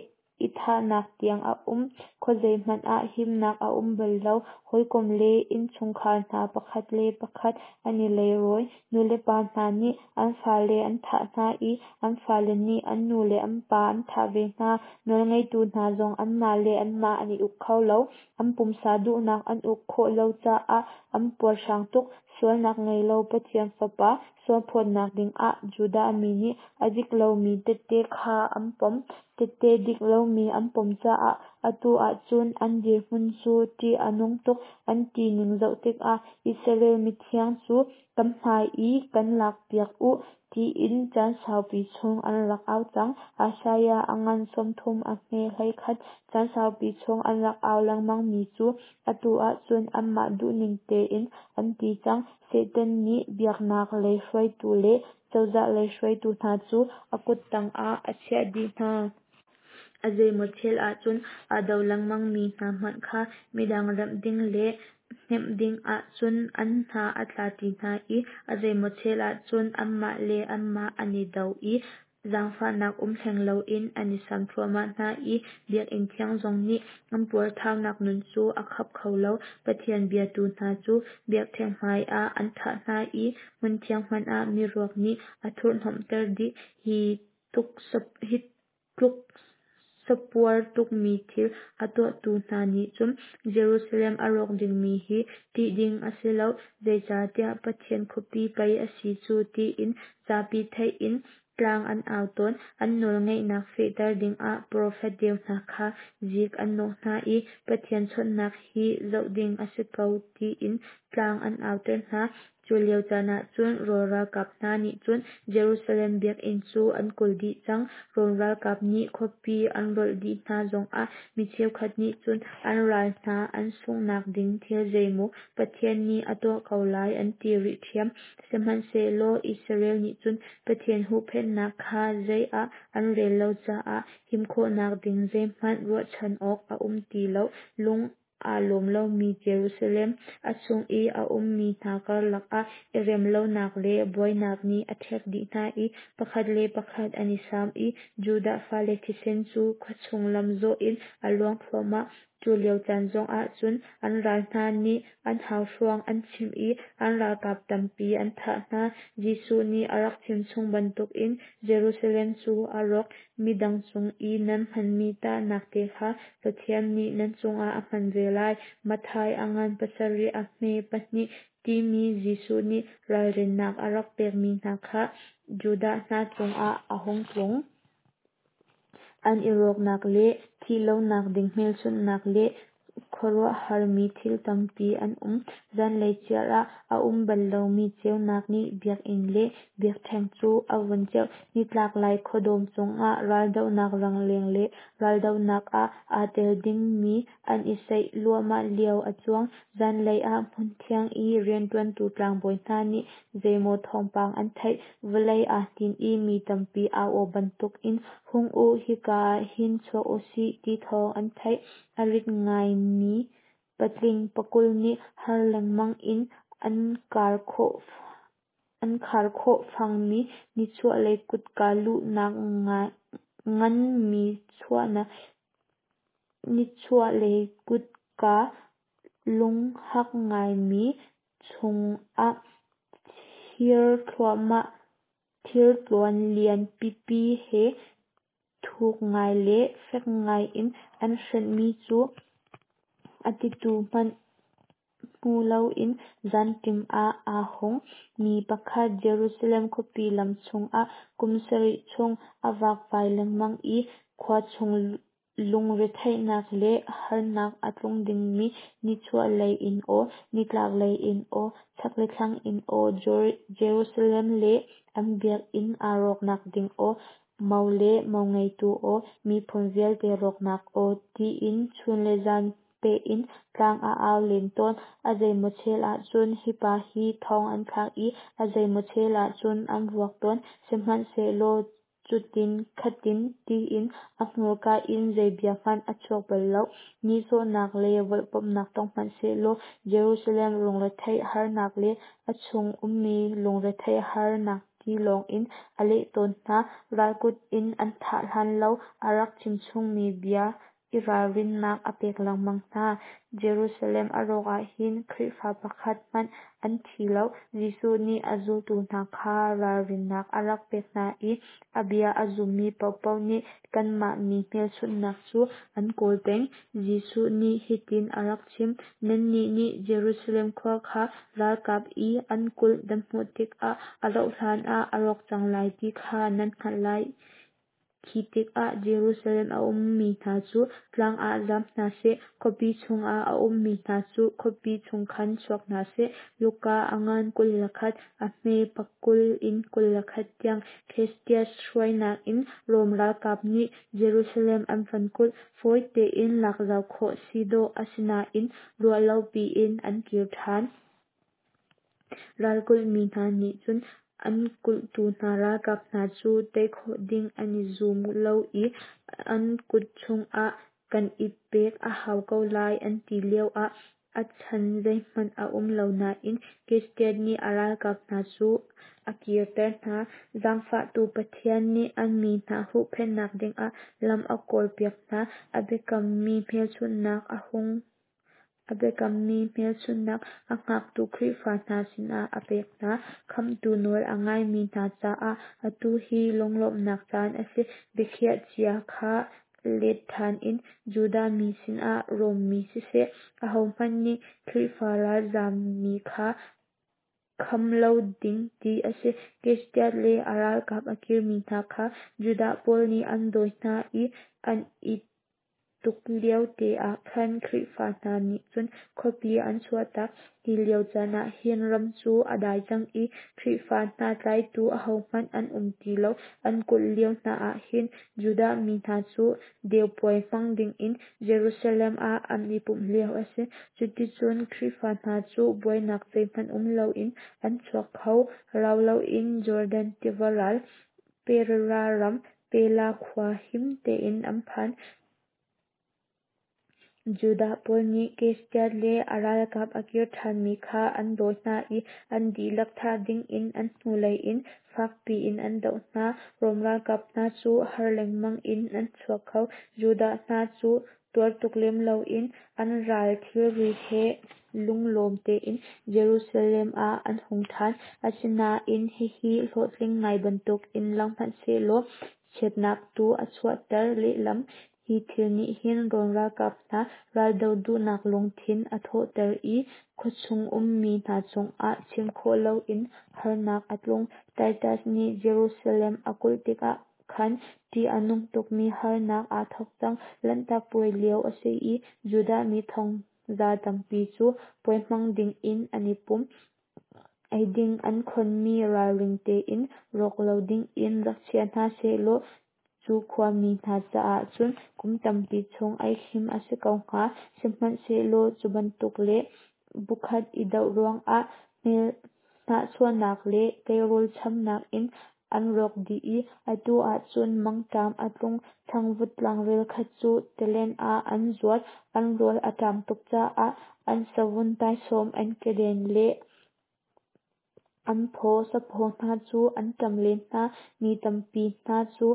i thahnak tiang a um. Khuazei hmanh ah himnak a um bal lo. Hawikom le innchungkhar hna pakhat le pakhat an i leirawi. Nulepa hna nih an fale an thah hna i an fale nih an nu le an pa an thah ve hna. Nawlngeitu hna zong anmah le anmah an i uk kho lo. An pumsa duhnak an uk khawh lo caah an puarhrang tuk. Sualnak ngei lo Pathian Fapa sualphawtnak dingah Judah mi nih a dik lomi tehte kha an pom. Tehte dik lomi an pom caah atu ahcun an dirhmun cu ṭih a nung tuk. An ti ning zoh tikah Israel mithiang cu kan hmai i kan lakpiak u tiin caan saupi chung an rak au cang. Isaiah a ngan 30 a hme 11. Caan saupi chung an rak au lengmangmi cu atu ahcun anmah duhning tein an ti cang. Satan nih biaknak lei hruaitu le cozah lei hruaitu hna cu a kut tangah a chiah dih hna. A zeimaw chel ahcun aa do lengmangmi hna hmanh kha midang remh ding le Hnemh ding ah cun an hna a tla ṭi hna i a zeimaw chel ah cun anmah le anmah an i do i zaangfahnak um hleng loin an i sam thluahmah hna i biakinn thiang zong nih an puarthaunak nun cu a khap kho lo. Pathian biatu hna cu biakṭheng hmaiah an thah hna i hmunthiang hmanh ah miruak nih a thurhhnawmhter dih. Hi tluk sapuar tukmi thil a tuahtu hna nih cun Jerusalem a rawk dingmi hi ṭih ding a si lo, zeicahtiah Pathian khuapi pei a si cu tiin zapi theih in tlang an au tawn. An nawlngeihnak fehter dingah profet deu hna kha zik an nawk hna i Pathian chawnhnak hi zoh ding a si ko tiin tlang an auter hna. Cu lio caan ah cun Rom ralkap hna nih cun Jerusalem biakinn cu an kulh dih cang. Rom ralkap nih khuapi an rolh dih hna zongah mi cheukhat nih cun an ral hna an sunghnak ding thil zeimaw Pathian nih a tuah ko lai an ti rih ṭhiam. Sihmanhsehlaw Israel nih cun Pathian huhphenhnak kha zei ah an rel lo caah him khawhnak ding zeihmanh ruahchan awk a um ti lo. Lung aa lawm lomi Jerusalem, a chung i a ummi hna karlak ah i rem lonak le buainak nih a ṭhek dih hna i pakhat le pakhat an i sam i Judah fale thisen cu khuachung lam zawh in a luang thluahmah. Cu lio caan zongah cun an ral hna nih an hauhruang an chimh i an ralkap tampi an thah hna. Jesuh nih a rak chimchung bantukin Jerusalem cu a rawk. Midang cung i nan hmanmi tahnak te kha Pathian nih nan cungah a hman ve lai. Matthai a ngan pasarih a hme pahnih timi Jesuh nih ralrinnak a rak pekmi hna kha Judah hna cungah a hung tlung. An i rawknak le thih lonak ding hmelchunhnak le khuaruahharmi thil tampi an um. Zanlei chiar ah a um bal lomi ceunak nih biakinn le biakṭheng cu a vun ceuh. Nitlak lai khuadawm cungah raldohnak rangleng le raldohnak ah aa tel dingmi an i saih luahmah lio a cuang. Zanlei ah hmunthiang i rianṭuantu tlangbawi hna nih zeimaw thawngpang an theih. Vawlei aa hnin i mi tampi au aw bantukin, Hung u, hika ah hin chuak u sih, ti thawng an theih. A rit ngaimi patling pakul nih har lengmang in an khar khawh fangmi nichuahlei kutka luhnak ngan nichuahlei kutka lunghak ngaimi chungah thirtluan lian pipi he thuk ngai le fek ngai in an hrenhmi cu a titu hmanh hmu loin zanṭim ah aa hung. Mi pakhat Jerusalem khuapi lam chungah kum sarih chung a vakvai lengmang i khua chung lungretheihnak le harnak a tlung dingmi nichuahlei in aw, nitlaklei in aw, chak le thlang in aw, Jerusalem le an biakinn aa rawknak ding aw, mo le mo ngeitu aw, miphun vialte rawknak aw, tiin chun le zan peh in tlang a au len tawn. A zeimaw chel ahcun hi pa hi thong an thlak i a zeimaw chel ahcun an vuak tawn. Sihmanhsehlaw cutin khatin tiin a hmurka in zei bia hmanh a chuak bal lo. Nihsawhnak le volhpamhnak tong hmanhsehlaw Jerusalem lungretheih harnak le a chung ummi lungretheih harnak ti lawngin a leh tawn hna. Ralkut in an thah hlan lo a rak chimchungmi bia i ralrinnak a pek lengmang hna. Jerusalem a rawk ah hin Khrihfa pakhat hmanh an thi lo. Jesuh nih a zultu hna kha ralrinnak a rak pek hna i a bia a zummi paohpaoh nih kanmah mi hmelchunhnak cu an kawl peng. Jesuh nih hitin a rak chim: Nannih nih Jerusalem khua kha ralkap i an kulh nan hmuh tikah a rauhhlan ah a rawk cang lai ti kha nan hngalh lai. Khi tikah Jerusalem a ummi hna cu tlang ah zam hna seh, khuapi chungah a ummi hna cu khuapi chung khan chuak hna seh. Luka a ngan 21, a hme pakul in 21 tiang Cestius hruainak in Rom ralkap nih Jerusalem an van kulh. Fawi tein lak zau khawh si dawh a si nain ruahlopi in an kir ṭhan. Ralkulhmi hna nih cun an kulhtu hna ralkap hna cu tei khawh ding an i zum lo i an kut chungah kan i pek a hau ko lai an ti lioah A chan zeihmanh a um lo nain Christian nih a ralkap hna cu a kirter hna. Zaangfahtu Pathian nih a mi hna huhphenhnak dingah lam a kawlpiak hna. A biakammi hmelchunhnak a hung a biakammi hmelchunhnak a hngaktu Khrihfa hna sinah a pek hna. Khamhtu nawl a ngaimi hna caah atu hi lunglawmhnak caan a si. Biakhiah cia kha let ṭhan in Judah mi sinah Rom mi siseh, ahohmanh nih Khrihfa ralzammi kha kham lo ding ti a si. Christian le a ralkap a kirmi hna kha Judah pawl nih an dawi hna i an i tuk lio te ah khan Khrihfa hna nih cun khuapi an chuahtak. Hi lio caan ah hin ram cu a dai cang i Khrihfa hna tlaitu ahohmanh an um ti lo. An kulh lio hna ah hin Judah mi hna cu deu puai hmang dingin Jerusalem ah an i pumh lio a si. Cuticun Khrihfa hna cu buainak zeihmanh um loin an chuak kho. Rau loin Jordan tiva ral, Perea ram, Pella khua him tein an phan. Judah pawl nih Christian le a ralkap a kir ṭhanmi kha an dawi hna i an dihlak thah dingin an hnulei in fak piin an doh hna. Rom ralkap hna cu har lengmang in an chuak kho. Judah hna cu tuar tuk lem loin an ral thilri he lunglawm tein Jerusalem ah an hung ṭhan. Asinain hihi hlawhtling ngai bantukin lang hmanhsehlaw chiatnak tu a chuahter lehlam. Hi thil nih hin Rom ralkap hna raldoh duhnak lungthin a thawhter i khuachung ummi hna cungah chim khawh loin harnak a tlung. Titus nih Jerusalem a kulh tikah khan ṭih a nung tukmi harnak aa thawk cang. Lanhtak Puai lio a si i Judah mi thongza tampi cu puai hmang dingin an i pum. Eiding an khonmi ralring tein rawk lo dingin rak chia hna sehlaw cu khuami hna caah cun kum tampi chung ei khim a si ko hnga. Sihmanhsehlaw cu bantuk le bukhat i doh ruangah hnahchuahnak le teirul chamnak in an rawk dih i atu ah cun mangṭam a tlung. Changvut tlangrel khat cu talen ah an zuat. An rawl a ṭam tuk caah an savun taisawm, an keden le an phaw saphaw hna cu an ṭam len hna. Mi tampi hna cu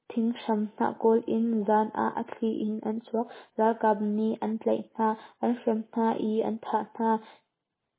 thinghram hnah kawl in zan ah a thli in an chuak. Ralkap nih an tlaih hna, an hrem hna i an thah hna.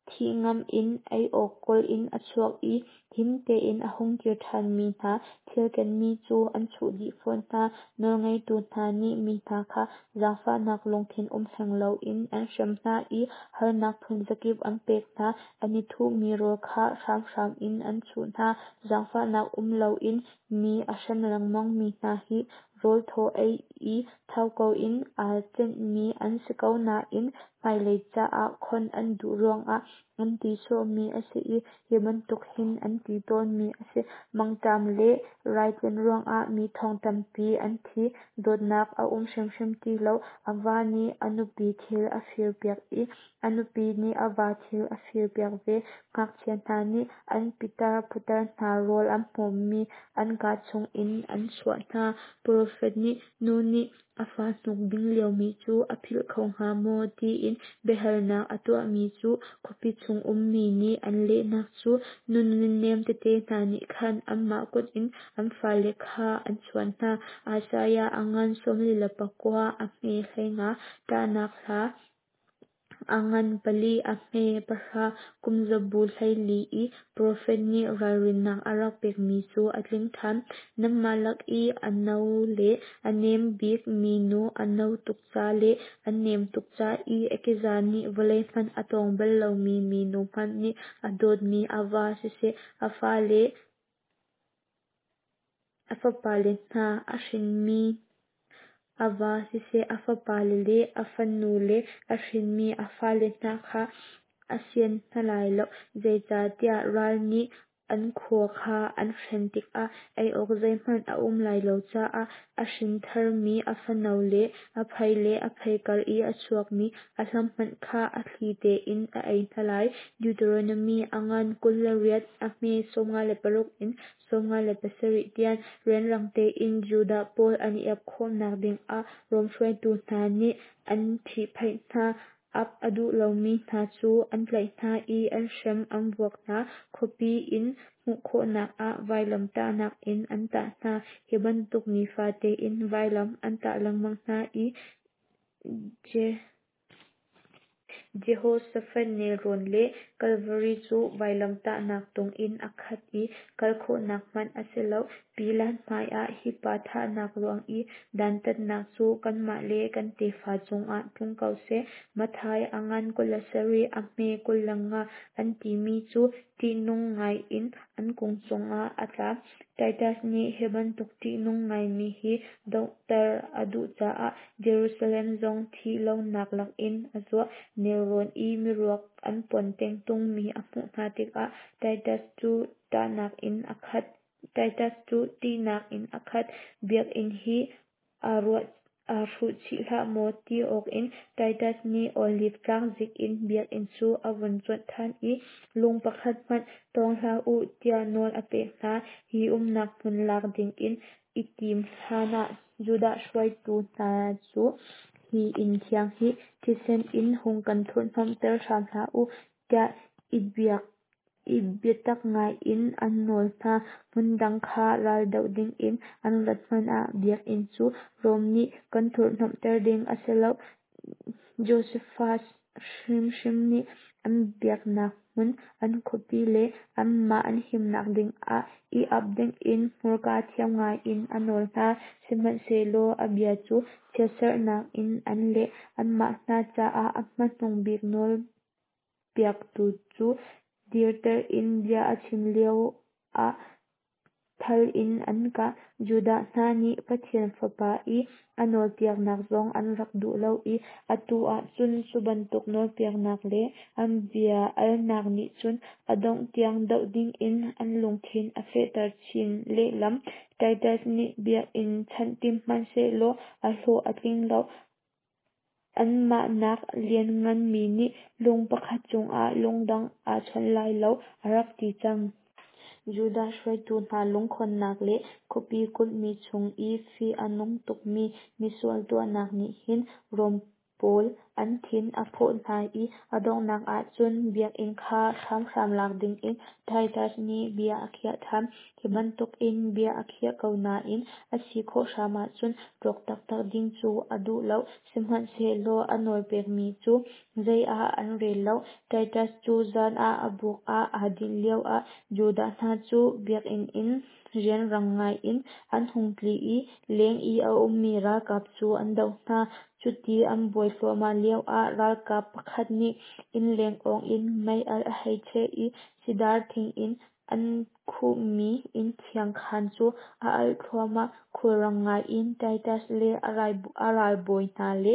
Thih ngamh in ei awk kawl in a chuak i him tein a hung kir ṭhanmi hna thil kenmi cu an chuh dih fawn hna. Nawlngeitu hna nih mi hna kha zaangfahnak lungthin um hleng loin an hrem hna i harnak phunzakip an pek hna. An i thuhmi rawl kha hramhram in an chuh hna. Zaangfahnak um loin mi a hrem lengmangmi hna hi rawl thaw ei i thau ko in aa cenhmi an si ko nain hmailei caah khon an duh ruangah an ti sawhmi a si i hi bantuk hin an ti tawnmi a si. Mangṭam le raitlun ruangah mi thong tampi an thi. Dawtnak a um hrimhrim ti lo. A va nih a nupi thil a firpiak i a nupi nih a va thil a firpiak ve. Ngakchia hna nih an pitar putar hna rawl an hmawmmi an kaa chungin an chuah hna. Profet nih, Nu nih a fa hnuk ding liomi cu a philh kho hnga maw? tiin biahalnak a tuahmi cu khuapi chung ummi nih an lehnak cu, Nu nunnem tete hna nih khan anmah kut in an fale kha an chuan hna. Isaiah a ngan 49 a hme 15. Ṭahnak hla a ngan pali a hme pahra kumzabu 14 i profet nih ralrinnak a rak pekmi cu a tling ṭhan. Nanmah lak i a no le a nem bik minu a no tuk ca le a nem tuk ca i a keza nih vawlei hmanh a tawng bal lomi minu hmanh nih a dawtmi a va siseh, a fale a fapale hna a hrinmi a va siseh, a fapale le a fanule a hrinmi a fale hna kha a sian hna lai lo, zeicahtiah ral nih an khua kha an hren tikah ei awk zeihmanh a um lai lo caah a hrin tharmi a fano le a phei le a phei kar i a chuakmi a hlam hmanh kha a thli tein a ei hna lai. Deuteronomy a ngan 28 a hme 56 in 57 tiang rianrang tein Judah pawl an i ap khawhnak dingah Rom hruaitu hna nih an ṭhihphaih hna. Ap a duh lomi hna cu an tlaih hna i an hrem an vuak hna. Khuapi in hmuh khawhnak ah vailamtahnak in an tah hna. Hi bantuk nifate in vailam an tah lengmang hna i Jehoshaphat nelrawn le Kalvari cu vailamtahnak tung in a khat i kal khawhnak hmanh a si lo. Pilat hmaiah hi pa thahnak ruang i dantatnak cu kanmah le kan tefa cungah tlung ko seh. Matthai a ngan 27 a hme 25 an timi cu ṭihnung ngaiin an kung cungah a tla. Titus nih hi bantuk ṭihnung ngaimi hi donghter a duh caah Jerusalem zong thih lonak lakin a zuah. Nelrawn i miruak an pon tengtungmi a hmuh hna tikah Titus cu ṭihnak in a khat. Titus cu ṭihnak in a khat. Biakinn hi aa hruhchih hlah maw ti awkin Titus nih Oliv tlang zik in biakinn cu a vun cuanh ṭhan i lung pakhat hmanh tawng hlah u tiah nawl a pek hna. Hi umnak hmun lak dingin i tim hlanah Judah hruaitu hna cu hi inn thiang hi thisen in hung kan thurhhnawmhter hram hlah u tiah i biatak ngaiin an nawl hna. Hmundang kha raldoh dingin an rat hmanh ah biakinn cu Rom nih kan thurhhnawmhter ding a si lo. Josephus hrimhrim nih an biaknak hmun, an khuapi le anmah an himnak dingah i ap dingin hmurka thiam ngaiin a nawl hna. Sihmanhsehlaw a bia cu chiatserhnak in an leh. Anmah hna caah a hmanung bik nawlpiaktu cu dirter in bia a chim lioah thal in an kah. Judah hna nih Pathian Fapa i a nawlpiaknak zong an rak duh lo i atu ah cun cu bantuk nawlpiaknak le an bia alnak nih cun a dongh tiang doh dingin an lungthin a fehter chin lehlam. Titus nih biakinn chanh tim hmanhsehlaw a hlawh a tling lo. Anmah nak liannganmi nih lung pakhat cungah lung dang aa chon lai lo, a rak ti cang. Judah hruaitu hna lungkhonnak le khuapi kulhmi chung i fih a nung tukmi misual tuahnak nih hin Rom pawl an thin a phawh hna i a donghnak ah cun biakinn kha hramhram lak dingin Titus nih bia a khiah ṭhan. Hi bantukin bia a khiah ko nain a si khawh hram ahcun rawk taktak ding cu a duh lo. Sihmanhsehlaw a nawlpekmi cu zei ah an rel lo. Titus cu zan ah a buk ah aa dinh lioah Judah hna cu biakinn in rianrang ngaiin an hung tli i leng i a ummi ralkap cu an doh hna. Cuti an buai thluahmah lioah ralkap pakhat nih innleng awng in meialh a hei cheh i sidar thing in an khuhmi inn thiang khaan cu a alh thluahmah. Khulrang ngaiin Titus le a ralbawi hna le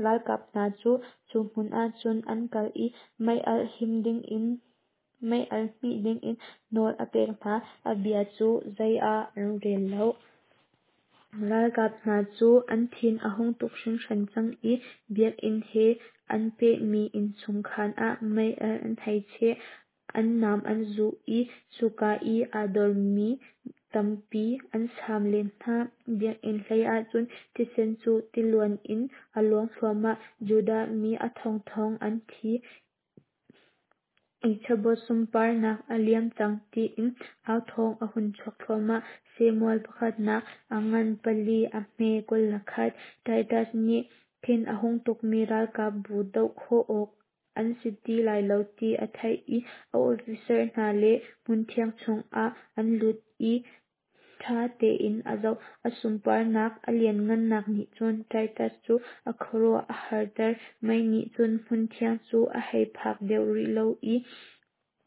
ralkap hna cu cu hmun ah cun an kal i meialh hmih dingin nawl a pek hna. A bia cu zei ah an rel lo. Ralkap hna cu an thin a hung tuk hringhran cang i biakinn he an pehmi innchung khaan ah meialh an hei cheh. An nam an zuh i cuka i aa dormi tampi an saam len hna. Biakinn hlei ah cun thisen cu tiluan in a luang thluahmah. Judah mi a thongthong an thi i Chabot sunparnak a liam cang tiin authawng a hun chuak thluahmah. Samuel pakhatnak a ngan pali a hme 21. Titus nih thin a hung tukmi ralkapbu doh khawh awk an si ti lai lo ti a theih i a officer hna le hmunthiang chungah an lut i ṭha tein a zoh. A sunparnak a lianhngannak nih cun Titus cu a khuaruah a harter. Mei nih cun hmunthiang cu a hei phak deuh rih lo i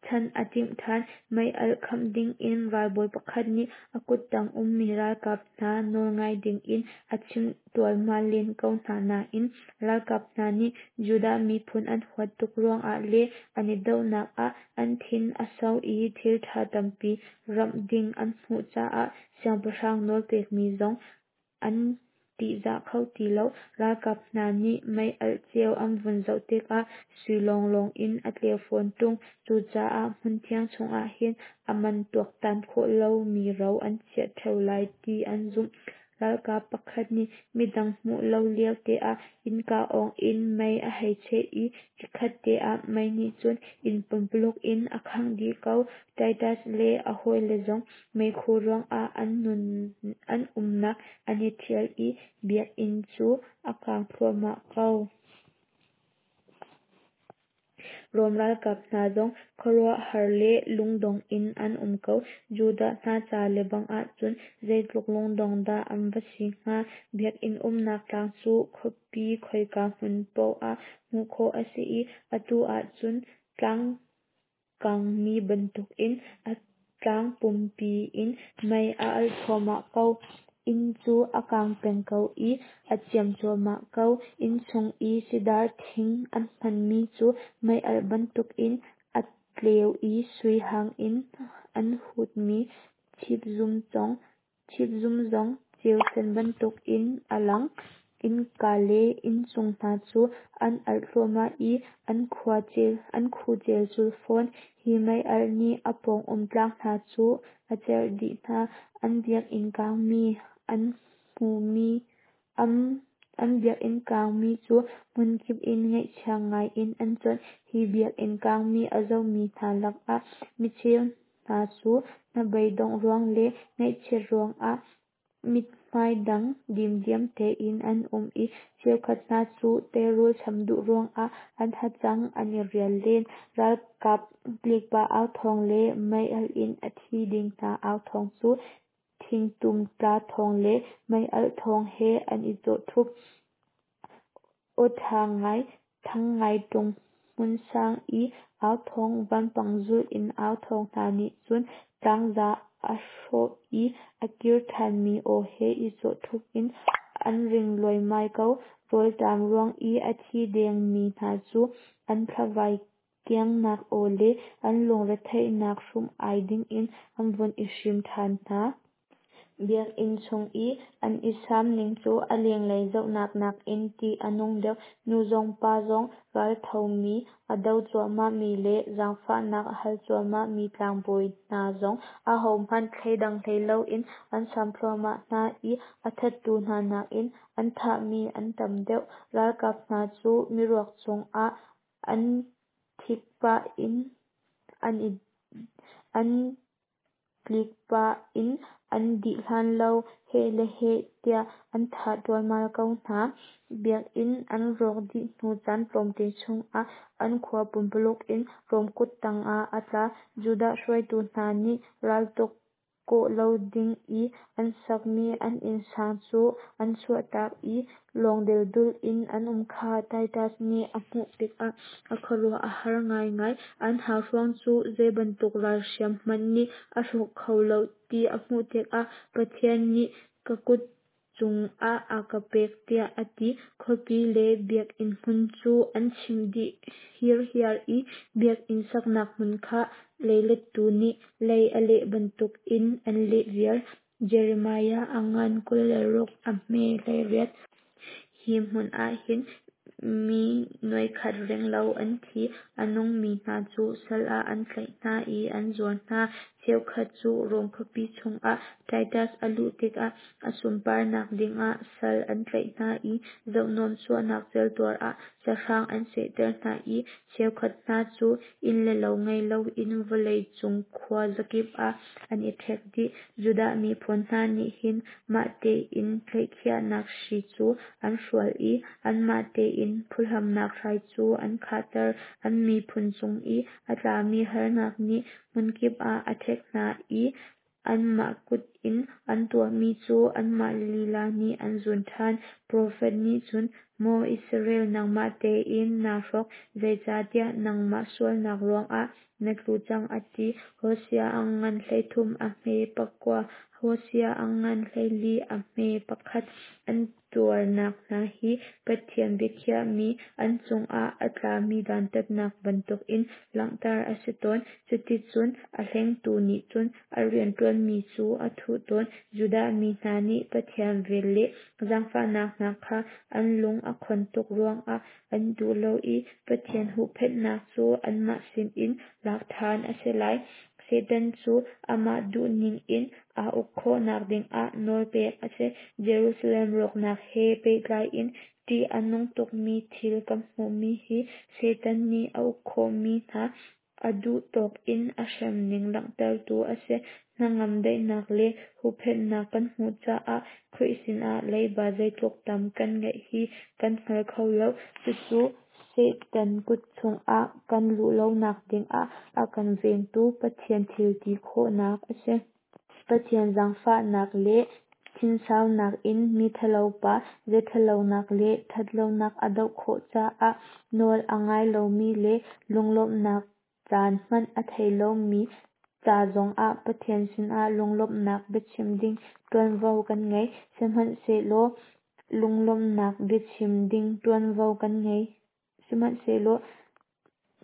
chanh a timh ṭhan. Meialh khamh dingin ralbawi pakhat nih a kuttang ummi ralkap hna nawlngai dingin a chimh ṭualmal len ko hna nain ralkap hna nih Judah miphun an huat tuk ruangah le an i dohnak ah an thin a sau i thil ṭha tampi ramh ding an hmuh caah siangpahrang nawl pekmi zong an ṭihzah kho ti lo. Ralkap hna nih meialh ceu an vun zoh tikah sui lawnglawng in a tleu fawn ṭung. Cucaah hmunthiang chungah hin a man tuaktan khawh lomi ro an chiah ṭheo lai ti an zumh. Ralkap pakhat nih midang hmuh lo lio te ah innka awng in mei a hei cheh i chikkhat te ah mei nih cun inn pumpuluk in a khangh dih ko. Titus le a hawile zong meikhu ruangah an umnak an i ṭhial i biakinn cu a kang thluahmah ko. Rom ralkap hna zong khuaruahhar le lungdong in an um ko. Judah hna ca lebang ahcun zeitluk lungdong dah an va si hnga. Biakinn umnak tlang cu khuapi khoika hmun paoh ah hmuh khawh a si i atu ahcun tlang kangmi bantukin a tlang pumpi in mei a alh thluahmah ko. Inn cu a kang peng ko i a ciam cuahmah ko. Inn chung i sidar thing an hmanmi cu meialh bantukin a tleu i sui hang in an hutmi chipzum zong ceu sen bantukin a lang. Innka le inncung hna cu an alh thluahmah i an khu celcul fawn. Hi meialh nih a pawng um tlang hna cu a cerh dih hna. An biakinn kangmi an hmuhmi an biakinn kangmi cu hmunkip in ngaihchia ngai in an cuanh. Hi biakinn kangmi a zohmi hna lakah micheu hna cu hnabeidongh ruang le ngaihchiat ruangah mithmai dang dimdiam tein an um i cheukhat hna cu teirul cham duh ruangah an hacang an i rial len. Ralkap tlikpah au thawng le meialh in a thi ding hna au thawng cu thingtum tla thawng le meialh thawng he an i cawh ṭhup. Aw ṭha ngai, thang ngai ṭung hmunsang i au thawng, vanpang zulh in au thawng hna nih cun tlangza a hrawh i a kir ṭhanmi aw he i cawh ṭhup in an ring luaimai ko. Rawlṭam ruang i a thi dengmi hna cu an thlavai kiangnak aw le an lungretheihnak hrum-ai dingin an vun i hrim ṭhan hna. Biakinn chung i an i saam ning cu a lenglei zohnak nakin ṭih a nung deuh. Nu zong pa zong, ralthomi a do cuahmahmi le zaangfahnak a hal cuahmahmi tlangbawi hna zong ahohmanh thleidang hlei loin an saam thluahmah hna i a thattu hna nakin an thahmi an tam deuh. Ralkap hna cu miruak cungah an tlikpah in an dih hlan lo heh le heh tiah an thah ṭualmal ko hna. Biakinn an rawk dih hnu caan tlawmte chungah an khua pumpuluk in Rom kut tangah a tla. Judah hruaitu hna nih raltuk kawh lo ding i an sakmi an innsang cu an chuahtak i lawng deldul in an um kha Titus nih a hmuh tikah a khuaruah a har ngaingai. An hauhruang cu zei bantuk ralhriam hmanh nih a hrawk kho lo ti a hmuh tikah Pathian nih ka kut cungah a ka pek tiah a ti. Khuapi le biakinn hmun cu an chimh dih hirhiar i biakinn saknak hmun kha leilettu nih lei a leh bantukin an leh viar. Jeremiah a ngan 26 a hme 18. Hi hmun ah hin mi 100,000 renglo an thi. A nungmi hna cu sal ah an tlaih hna i an zuar hna. Cheukhat cu Rom khuapi chungah Titus a luh tikah a sunparnak dingah sal an tlaih hna i zohnuam chuahnak celtuar ah sahrang an sehter hna i cheukhat hna cu inn le lo ngei loin vawlei cung khua zakip ah an i ṭhek dih. Judah miphun hna nih hin mah tein tlaihkhiahnak hri cu an hrual i anmah tein phuhlamnak hrai cu an khahter. An miphun cung i a tlami harnak nih hmunkip ah a ṭhek hna i anmah kut in an tuahmi cu anmah lila nih an zun ṭhan. Profet nih cun, Maw Israel, nangmah tein naa hrawk, zeicahtiah nangmah sualnak ruangah na tlu cang, a ti. Hosea a ngan 13 a hme 9, Hosea a ngan 14 a hme 1. An tuarnak hna hi Pathian biakhiahmi an cungah a tlami dantatnak bantukin langhter a si tawn. Cuticun a hlengtu nih cun a rianṭuanmi cu a thuh tawn. Judah mi hna nih Pathian vel le zaangfahnak hna kha an lung a khon tuk ruangah an duh lo i Pathian huhphenhnak cu anmah sinin lak ṭhan a si lai. Satan cu amah duhning in aa uk khawhnak dingah nawl pek a si. Jerusalem rawknak he pehtlai in ṭih a nung tukmi thil kan hmuhmi hi Satan nih a uk khawhmi hna a duh tawk in a hremning langhtertu a si. Hnangam daihnak le huhphenhnak kan hmuh caah Khrih sinah leiba zeitluk tam kan ngeih hi kan hngal kho lo. Cucu Satan kut chungah kan luh lonak dingah a kan vengtu Pathian thil ti khawhnak a si. Pathian zaangfahnak le thinsaunak in mi thalopa zeithalonak le thatlonak a doh khawh caah nawl a ngai lomi le lunglawmhnak caan hmanh a thei lomi ca zongah Pathian sinah lunglawmhnak biachim ding tuanvo kan ngei. Sihmanhsehlaw lunglawmhnak biachim ding tuanvo kan ngei. Sihmanhsehlaw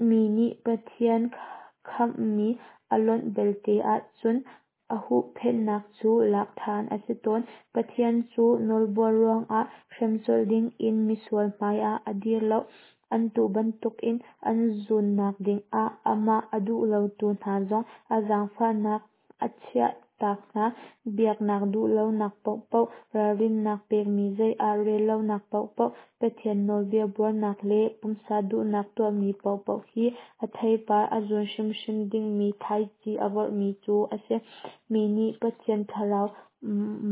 mi nih Pathian khamhmi a lonh belte ahcun a huhphenhnak cu lak than a si tawn. Pathian cu nawlbuar ruangah hrem colh dingin misual hmaiah a dir lo. An tuh bantukin an zunnak dingah amah a duh lotu hna zong a zaangfahnak a chiah tak hna. Biaknak duhlonak paohpaoh, ralrinnak pekmi zei ah rel lonak paohpaoh, Pathian nawlbia buarnak le pumsa duhnak tuahmi paohpaoh hi a theipar a zun hrimhrim dingmi thlaici a vorhmi cu a si. Mi nih Pathian thlarau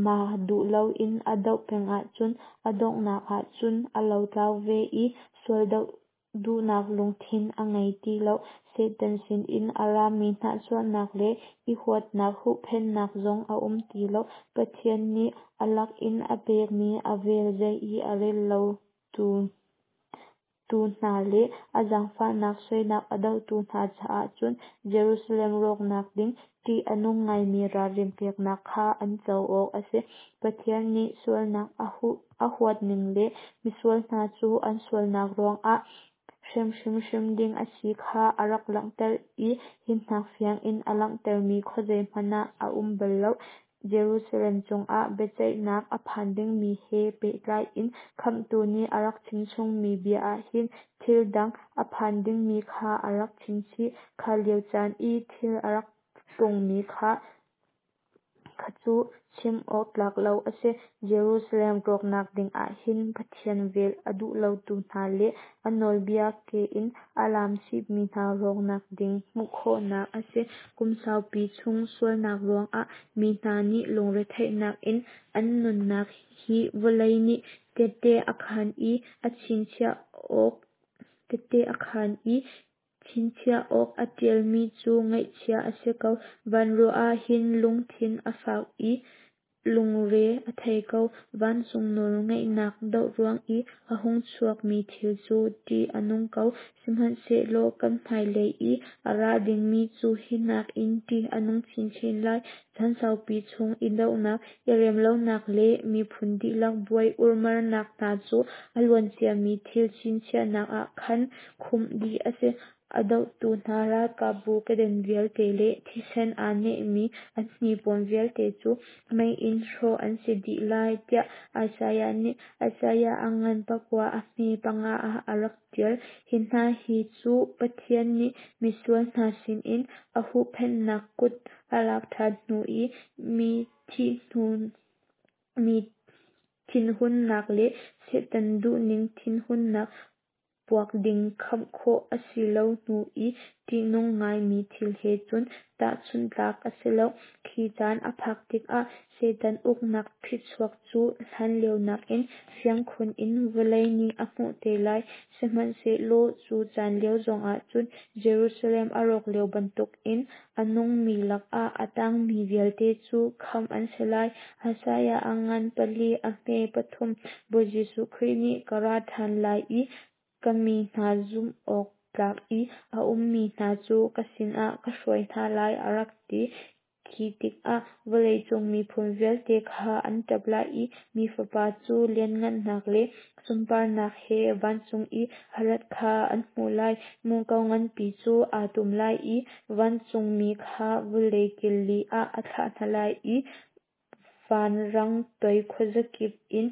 mah duh loin a doh peng ahcun a donghnak ahcun a lotlau ve i sual doh duhnak lungthin a ngei ti lo. Satan sinin a rami hnahchuahnak le i huatnak huhphenhnak zong a um ti lo. Pathian nih a lak in a pekmi a vel zei i a rel lo tu hna le a zaangfahnak soinak a dohtu hna caah cun Jerusalem rawknak ding ṭih a nung ngaimi ralrin peknak kha an co awk a si. Pathian nih sualnak a huatning le misual hna cu an sualnak ruangah hrem hrimhrim ding a si kha a rak langhter i hi hnak fiang in a langhtermi khuazei hmanh ah a um bal lo. Jerusalem cungah biaceihnak a phan dingmi he pehtlai in Khamhtu nih a rak chimchungmi bia ah hin thil dang a phan dingmi kha a rak chimchih. Kha lio caan i thil a rak tlungmi kha cu chim awk tlak lo a si. Jerusalem rawknak dingah hin Pathian vel a duh lotu hna le a nawlbia ke in a laamchihmi hna rawknak ding hmuh khawhnak a si. Kum saupi chung sualnak ruangah mi hna nih lungretheihnak in an nunnak hi vawlei nih tehte a khaan i a chinchiah awk tehte a khaan i chinchiah awk a ṭialmi cu ngaihchia a si ko. Van ruah ah hin lungthin a fak i lungre a thei ko. Vancung nawlngeihnak doh ruang i a hung chuakmi thil cu ṭih a nung ko. Sihmanhsehlaw kan hmailei i a ra dingmi cu hi nakin ṭih a nung chinchin lai. Chan saupi chung i dohnak, i remlonak le miphun dihlak buai urmarnak hna cu a luanciami thil chinchiahnak ah khan khumh dih a si. A dohtu hna ralkapbu keden vialte le thisen aa nehmi an hnipuan vialte cu mei in hrawh an si dih lai, tiah Isaiah nih Isaiah a ngan pakua a hme panga ah a rak ṭial. Hi hna hi cu Pathian nih misual hna sinin a huhphenhnak kut a lak ṭhan hnu i mi thinhunnak le Satan duhning thinhunnak puak ding khamh khawh a si lo hnu i ṭihnung ngaimi thil he cun tahchunh tlak a si lo. Khi caan a phak tikah Satan uknak phichuak cu hlanlio nakin fiang khun in vawlei nih a hmuh te lai. Sihmanhsehlaw cu caan lio zongah cun Jerusalem a rawk lio bantukin a nungmi lakah a tangmi vialte cu khamh an si lai. Isaiah a ngan pali a hme pathum Bawi Jesuh Khrih nih ka ra ṭhan lai i ka mi hna zumh awk tlak i a ummi hna cu ka sinah ka hruai hna lai, a rak ti. Khi tikah vawleicung miphun vialte kha an ṭap lai i Mi Fapa cu lianhngannak le sunparnak he vancung i a rat kha an hmuh lai. Muko nganpi cu aa tum lai i vancungmi kha vawlei kil li ah a thlah hna lai i vanrang toi khuazakip in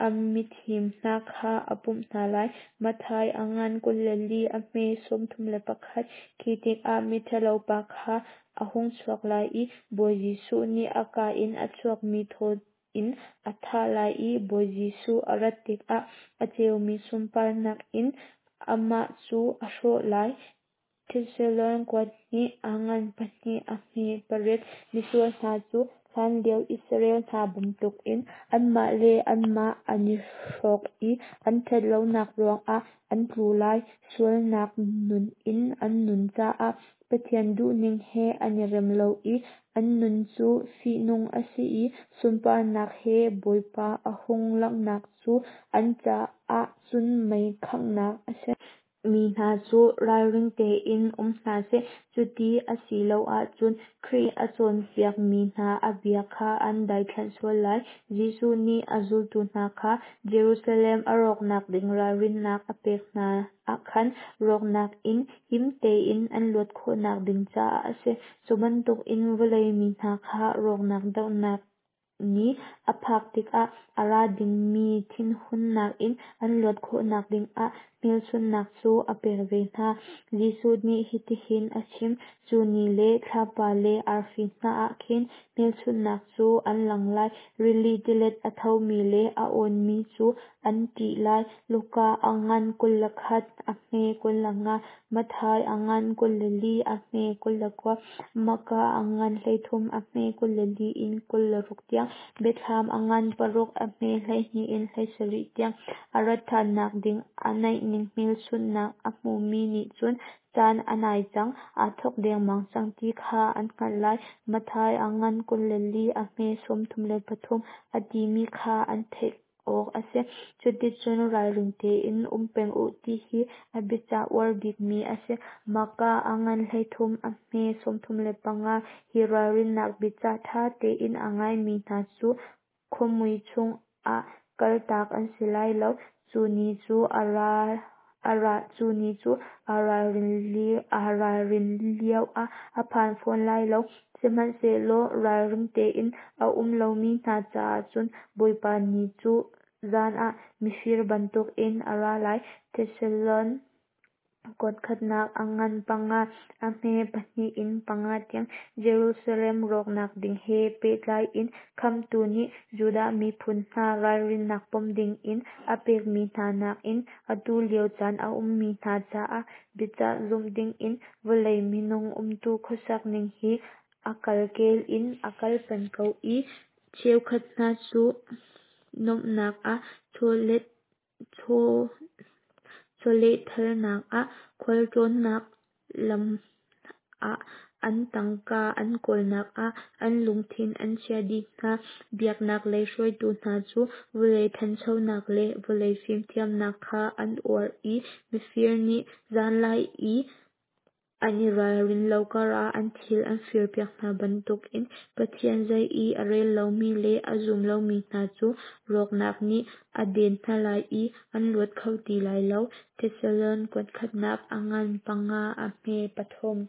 a mithim hna kha a pumh hna lai. Matthai a ngan 24 a hme 31. Khi tikah miṭhalo pa kha a hung chuak lai i Bawi Jesuh nih a kaa in a chuakmi thaw in a thah lai i Bawi Jesuh a rat tikah a ceumi sunparnak in amah cu a hrawh lai. Thesalon kuat hnih a ngan pahnih a hme pariat. Misual hna cu hlanlio Israel hna bantukin anmah le anmah an i hrawk i an ṭhatlonak ruangah an tlu lai. Sualnak nun in an nun caah Pathian duhning he an i rem lo i an nun cu fihnung a si i sunparnak he Bawipa a hung langhnak cu an caah cun mei khanghnak a si. Mi hna cu ralring tein um hna seh, cuti a si lo ahcun Khrih nih a cawnpiakmi hna a bia kha an daithlanh sual lai. Jesuh nih a zultu hna kha Jerusalem a rawknak ding ralrinnak a pek hna ah khan rawknak in him tein an luat khawhnak ding caah a si. Cu bantukin vawlei mi hna kha rawknak dohnak ni a phak tikah a ra dingmi thinhunnak in an luat khawhnak dingah hmelchunhnak cu a pek ve hna. Jesuh nih hitihin a chim: Cu ni le thlapa le arfi hna ah khin hmelchunhnak cu an lang lai. Rili tilet a thomi le a awnmi cu an ṭih lai. Luka a ngan 21 a hme 25, Matthai a ngan 24 a hme 29, Marka a ngan 33 a hme 24 in 26 tiang, Biathlam a ngan paruk a hme 12 in 17 tiang. A rat ṭhannak ding a naihning hmelchunhnak a hmumi nih cun caan a nai cang, aa thawk dengmang cang ti kha an hngalh lai. Matthai a ngan 24 a hme 33 a timi kha an theih awk a si. Cuticun ralring tein um peng u ti hi a biacah uar bikmi a si. Marka a ngan 13 a hme 35. Hi ralrinnak biacah ṭha tein a ngaimi hna cu khuamui chungah kaltak an si lai lo. Cu ni cu a aa ralrin lioah a phan fawn lai lo. Sihmanhsehlaw ralring tein a um lomi hna caah cun Bawipa Ni cu zan ah mifir bantukin a ra lai. Thesalon kuat khatnak a ngan panga, a hme pahnih in panga tiang. Jerusalem rawknak ding he pehtlai in Khamhtu nih Judah miphun hna ralrinnak pom dingin a pekmi hna nakin atu lio caan a ummi hna caah biacah zumh dingin vawlei minung umtu khuasak ning hi a kalkel in a kal peng ko i cheukhat hna cu nuamhnak ah chawlehthalnak ah khualtlawnnak lam ah an tangka an kawlnak ah an lungthin an chiah dih hna. Biaknak lei hruaitu hna cu vawlei ṭhanchonak le vawlei fimthiamnak kha an uar i mifir nih zanlai i an i ralrin lo karah an thil an firpiak hna bantukin Pathian zei i a rel lomi le a zum lomi hna cu rawknak nih a den hna lai i an luat kho ti lai lo. Thesalon kuat khatnak a ngan panga a hme pathum.